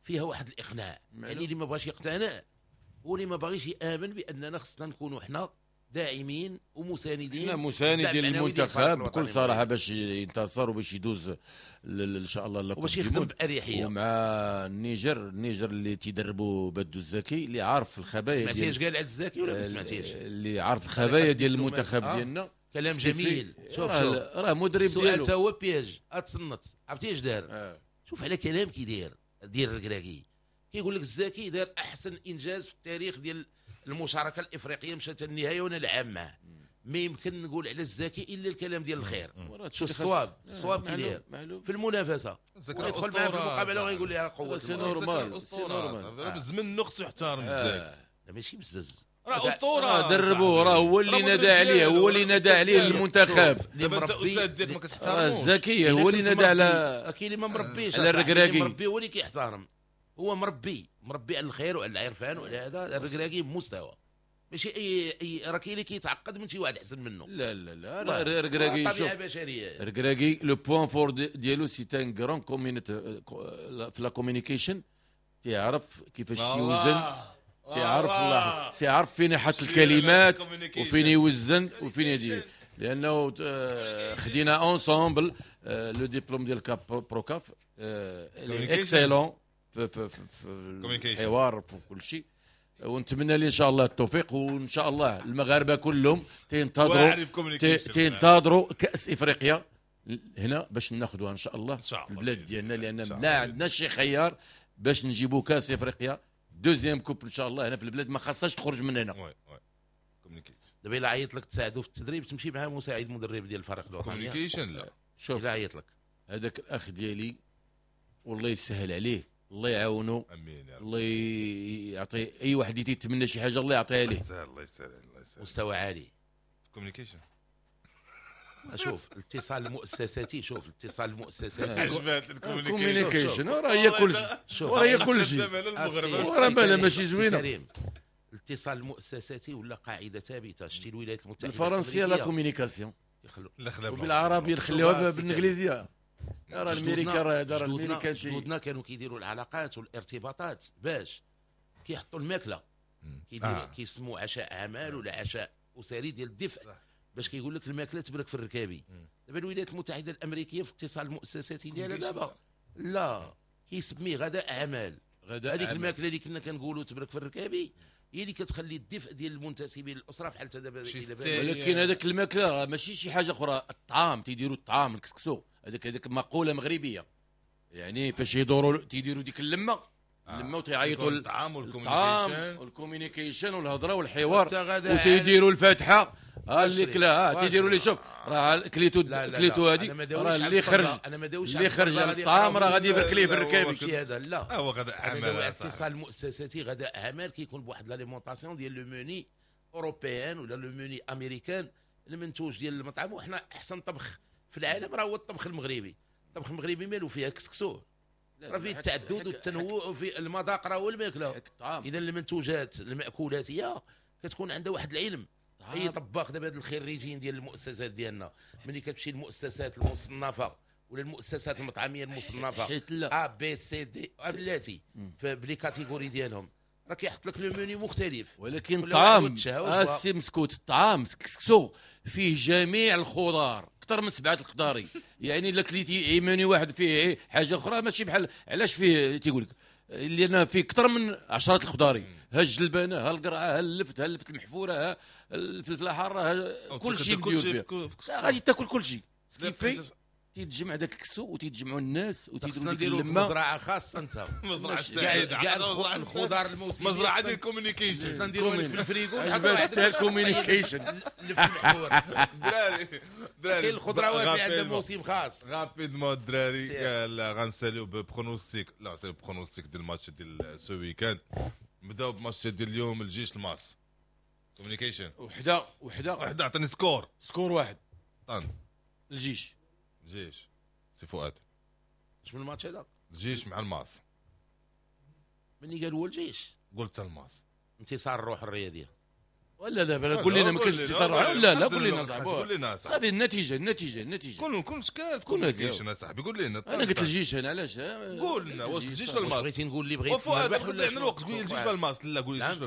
[SPEAKER 4] فيها واحد الاقناع. يعني اللي ما بغاش يقتنع هو اللي ما باغيش يامن باننا خصنا نكونوا حنا داعمين ومساندين.
[SPEAKER 5] حنا مساندين للمنتخب بكل صراحة باش ينتصر وباش يدوز ان شاء الله
[SPEAKER 4] وباش يخدم باريحية.
[SPEAKER 5] ومع النيجر، النيجر اللي تيدربوا بدو الزكي اللي عارف الخبايا.
[SPEAKER 4] سمعتي اش قال عبد الزكي ولا ما سمعتيش؟
[SPEAKER 5] اللي عارف الخبايا ديال المنتخب آه. ديالنا.
[SPEAKER 4] كلام جميل. شوف شوف
[SPEAKER 5] راه مدرب ديالو
[SPEAKER 4] السؤال تا هو piège اتصنت. عرفتي اش دار؟ آه. شوف على كلام كيدير ديال الركراكي، كيقول لك الزكي دار احسن انجاز في التاريخ ديال المشاركة الافريقية، مشات النهاية وانا لعب معاه. ما يمكن نقول على الزكي الا الكلام ديال الخير. شو الصواب؟ الصواب كيدير في المنافسة، ويدخل معاه في المقابلة ويقول لها قوة.
[SPEAKER 5] c'est normal، c'est normal.
[SPEAKER 3] بالزمن نقص يحترم الزكي.
[SPEAKER 4] لا ماشي بزز،
[SPEAKER 3] راه اسطورة،
[SPEAKER 5] دربوه، راه هو اللي نادى عليه، هو اللي نادى عليه للمنتخب.
[SPEAKER 3] دابا انت استاذ ديالك ما كتحترموش
[SPEAKER 5] الزكي، هو اللي نادى على
[SPEAKER 4] كاين اللي ما مربيش،
[SPEAKER 5] على الركراكي.
[SPEAKER 4] مربي هو اللي كيحترم، هو مربي مربي على الخير وعلى العرفان وعلى هذا. الركراكي بمستوى ماشي اي اي راه كاين اللي كيتعقد من شي واحد احسن منه.
[SPEAKER 5] لا لا لا الركراكي
[SPEAKER 4] طبيعة بشرية.
[SPEAKER 5] الركراكي le point fort ديالو c'est un grand communit في la communication، تيعرف كيفاش يوزن، تيعرف الله، تيعرف فين يحط الكلمات وفين يوزن وفين يدير. لانه خدينا ensemble le diplôme ديال CAF Pro CAF excellent في في في الحوار في كل شيء. ونتمنى لي ان شاء الله التوفيق، وان شاء الله المغاربة كلهم تينتظروا تينتظروا كاس افريقيا هنا باش ناخذوها ان شاء الله في البلاد ديالنا، لان لا عندنا شي خيار باش نجيبوا كاس افريقيا deuxième coupe ان شاء الله هنا في البلاد، ما خاصهاش تخرج من هنا.
[SPEAKER 3] oui oui
[SPEAKER 4] دابا الا عيط لك تساعدو في التدريب تمشي معاه مساعد مدرب ديال الفريق الوطني
[SPEAKER 3] communication؟ لا
[SPEAKER 5] شوف
[SPEAKER 4] الا عيط لك
[SPEAKER 5] هذاك الاخ ديالي والله يسهل عليه، الله يعاونو،
[SPEAKER 3] امين يا رب،
[SPEAKER 5] الله يعطي اي واحد يتمنى شي حاجة الله يعطيها ليه.
[SPEAKER 3] الله يسهل الله يسهل.
[SPEAKER 4] مستوى عالي
[SPEAKER 3] communication.
[SPEAKER 4] شوف الاتصال المؤسساتي، شوف الاتصال المؤسساتي
[SPEAKER 5] عجبات ال communication، راه هي كلشي، راه هي كلشي، راه بالها ماشي زوينة.
[SPEAKER 4] الاتصال المؤسساتي ولا قاعدة ثابتة. شتي الولايات المتحدة
[SPEAKER 5] الفرنسية la communication، وبالعربيه نخليوها بالانجليزية. راه الامريكا راه راه الامريكا
[SPEAKER 4] جدودنا كانوا كيديروا العلاقات والارتباطات باش كيحطوا الماكلة، كيديروا كيسموا عشاء اعمال ولا عشاء اسري ديال الدفء باش كيقول لك الماكلة تبرك في الركابي. دابا الولايات المتحدة الامريكية في الاتصال المؤسساتي ديالها دابا لا كيسميه غداء اعمال. هذيك الماكلة اللي كنا كنقولوا تبرك في الركابي هي اللي كتخلي الدفء ديال المنتسبين للاسرة بحال دابا.
[SPEAKER 5] ولكن هذاك الماكلة ماشي شي حاجة اخرى، الطعام تيديروا الطعام الكسكسو هذاك هذاك مقولة مغربية، يعني فاش يدوروا تيديروا ديك اللمة اللمة وتيعيطوا
[SPEAKER 3] الطعام وال
[SPEAKER 5] communication والهضره والحوار وتيديروا الفاتحة. ها اللي كلا ها تيديروا لي شوف راه كليتو كليتو هذه راه اللي خرج اللي خرج على الطعام راه غادي يبرك ليه في الركابي.
[SPEAKER 4] ماشي هذا لا
[SPEAKER 3] هو غدا اعمال
[SPEAKER 4] الاتصال المؤسساتي غدا اعمال كيكون بواحد l'alimentation ديال le menu européen ولا le menu américain المنتوج ديال المطعم. وحنا احسن طبخ في العالم راه هو الطبخ المغربي. الطبخ المغربي مالو فيها كسكسو، راه فيه التعدد والتنوع وفي المذاق راه هو الماكلة. اذا المنتوجات المأكولاتيه كتكون عندها واحد العلم. اي طباخ دابا هاد الخريجين ديال المؤسسات ديالنا ملي كتمشي للمؤسسات المصنفه ولا المؤسسات المطعميه المصنفه A B C D بلاتي ب les catégories ديالهم راه كيحط لك le menu مختلف.
[SPEAKER 5] ولكن الطعام السي مسكوت، الطعام كسكسو فيه جميع الخضار اكثر من سبعة الخضاري، يعني الا كليتي منيو واحد فيه حاجة اخرى ماشي بحال علاش فيه تيقول لك لان فيه اكثر من عشرة الخضاري، ها الجلبانه ها القرعة ها اللفت ها اللفت المحفوره ها الفلفله حارة كل شيء مديور فيه، غادي تاكل كل شيء كيفي تيتجمع داك الكسو وتيتجمعوا الناس وتيديروا
[SPEAKER 4] خصنا
[SPEAKER 5] ديك
[SPEAKER 4] نديروا
[SPEAKER 5] اللمة.
[SPEAKER 4] مزرعة خاصة انت.
[SPEAKER 3] مزرعة
[SPEAKER 4] كاع
[SPEAKER 3] سعيدة.
[SPEAKER 4] كاع الخضار الموسمية.
[SPEAKER 3] مزرعة ديال ال communication.
[SPEAKER 4] خصنا نديروا لك في الفريغو.
[SPEAKER 5] عجبك حتى ال communication.
[SPEAKER 4] اللي في المحور.
[SPEAKER 3] دراري دراري،
[SPEAKER 4] كاين الخضروات اللي عندها موسم خاص.
[SPEAKER 3] rapidement الدراري.
[SPEAKER 4] سير.
[SPEAKER 3] لا، غنساليو ب pronostic، لا غنساليو ب pronostic ديال الماتش ديال ce week-end. نبداو بماتش ديال اليوم، الجيش الماس، communication.
[SPEAKER 5] وحده وحده.
[SPEAKER 3] وحده، عطيني score.
[SPEAKER 5] score واحد.
[SPEAKER 3] طن.
[SPEAKER 5] الجيش.
[SPEAKER 3] الجيش. سي فؤاد.
[SPEAKER 4] اش من الماتش هذا؟
[SPEAKER 3] الجيش مع الماس.
[SPEAKER 4] مني قال هو الجيش.
[SPEAKER 3] قلت الماس.
[SPEAKER 4] انتصار الروح الرياضيه.
[SPEAKER 5] ولا لا بلا، قول لنا ما كاينش انتصار. لا لا، قول لنا صاحبي.
[SPEAKER 3] قول لنا صاحبي.
[SPEAKER 5] صافي، النتيجة النتيجة النتيجه.
[SPEAKER 3] كون كون شكال
[SPEAKER 5] كون
[SPEAKER 3] communication صاحبي، قول لنا.
[SPEAKER 5] انا قلت الجيش انا، علاش؟
[SPEAKER 3] قول لنا واش الجيش ولا الماس؟
[SPEAKER 4] بغيتي نقول اللي بغيت
[SPEAKER 3] وفؤاد
[SPEAKER 4] نربح ولا
[SPEAKER 3] عندنا الوقت، قول الجيش ولا الماس؟ لا، قول الجيش ولا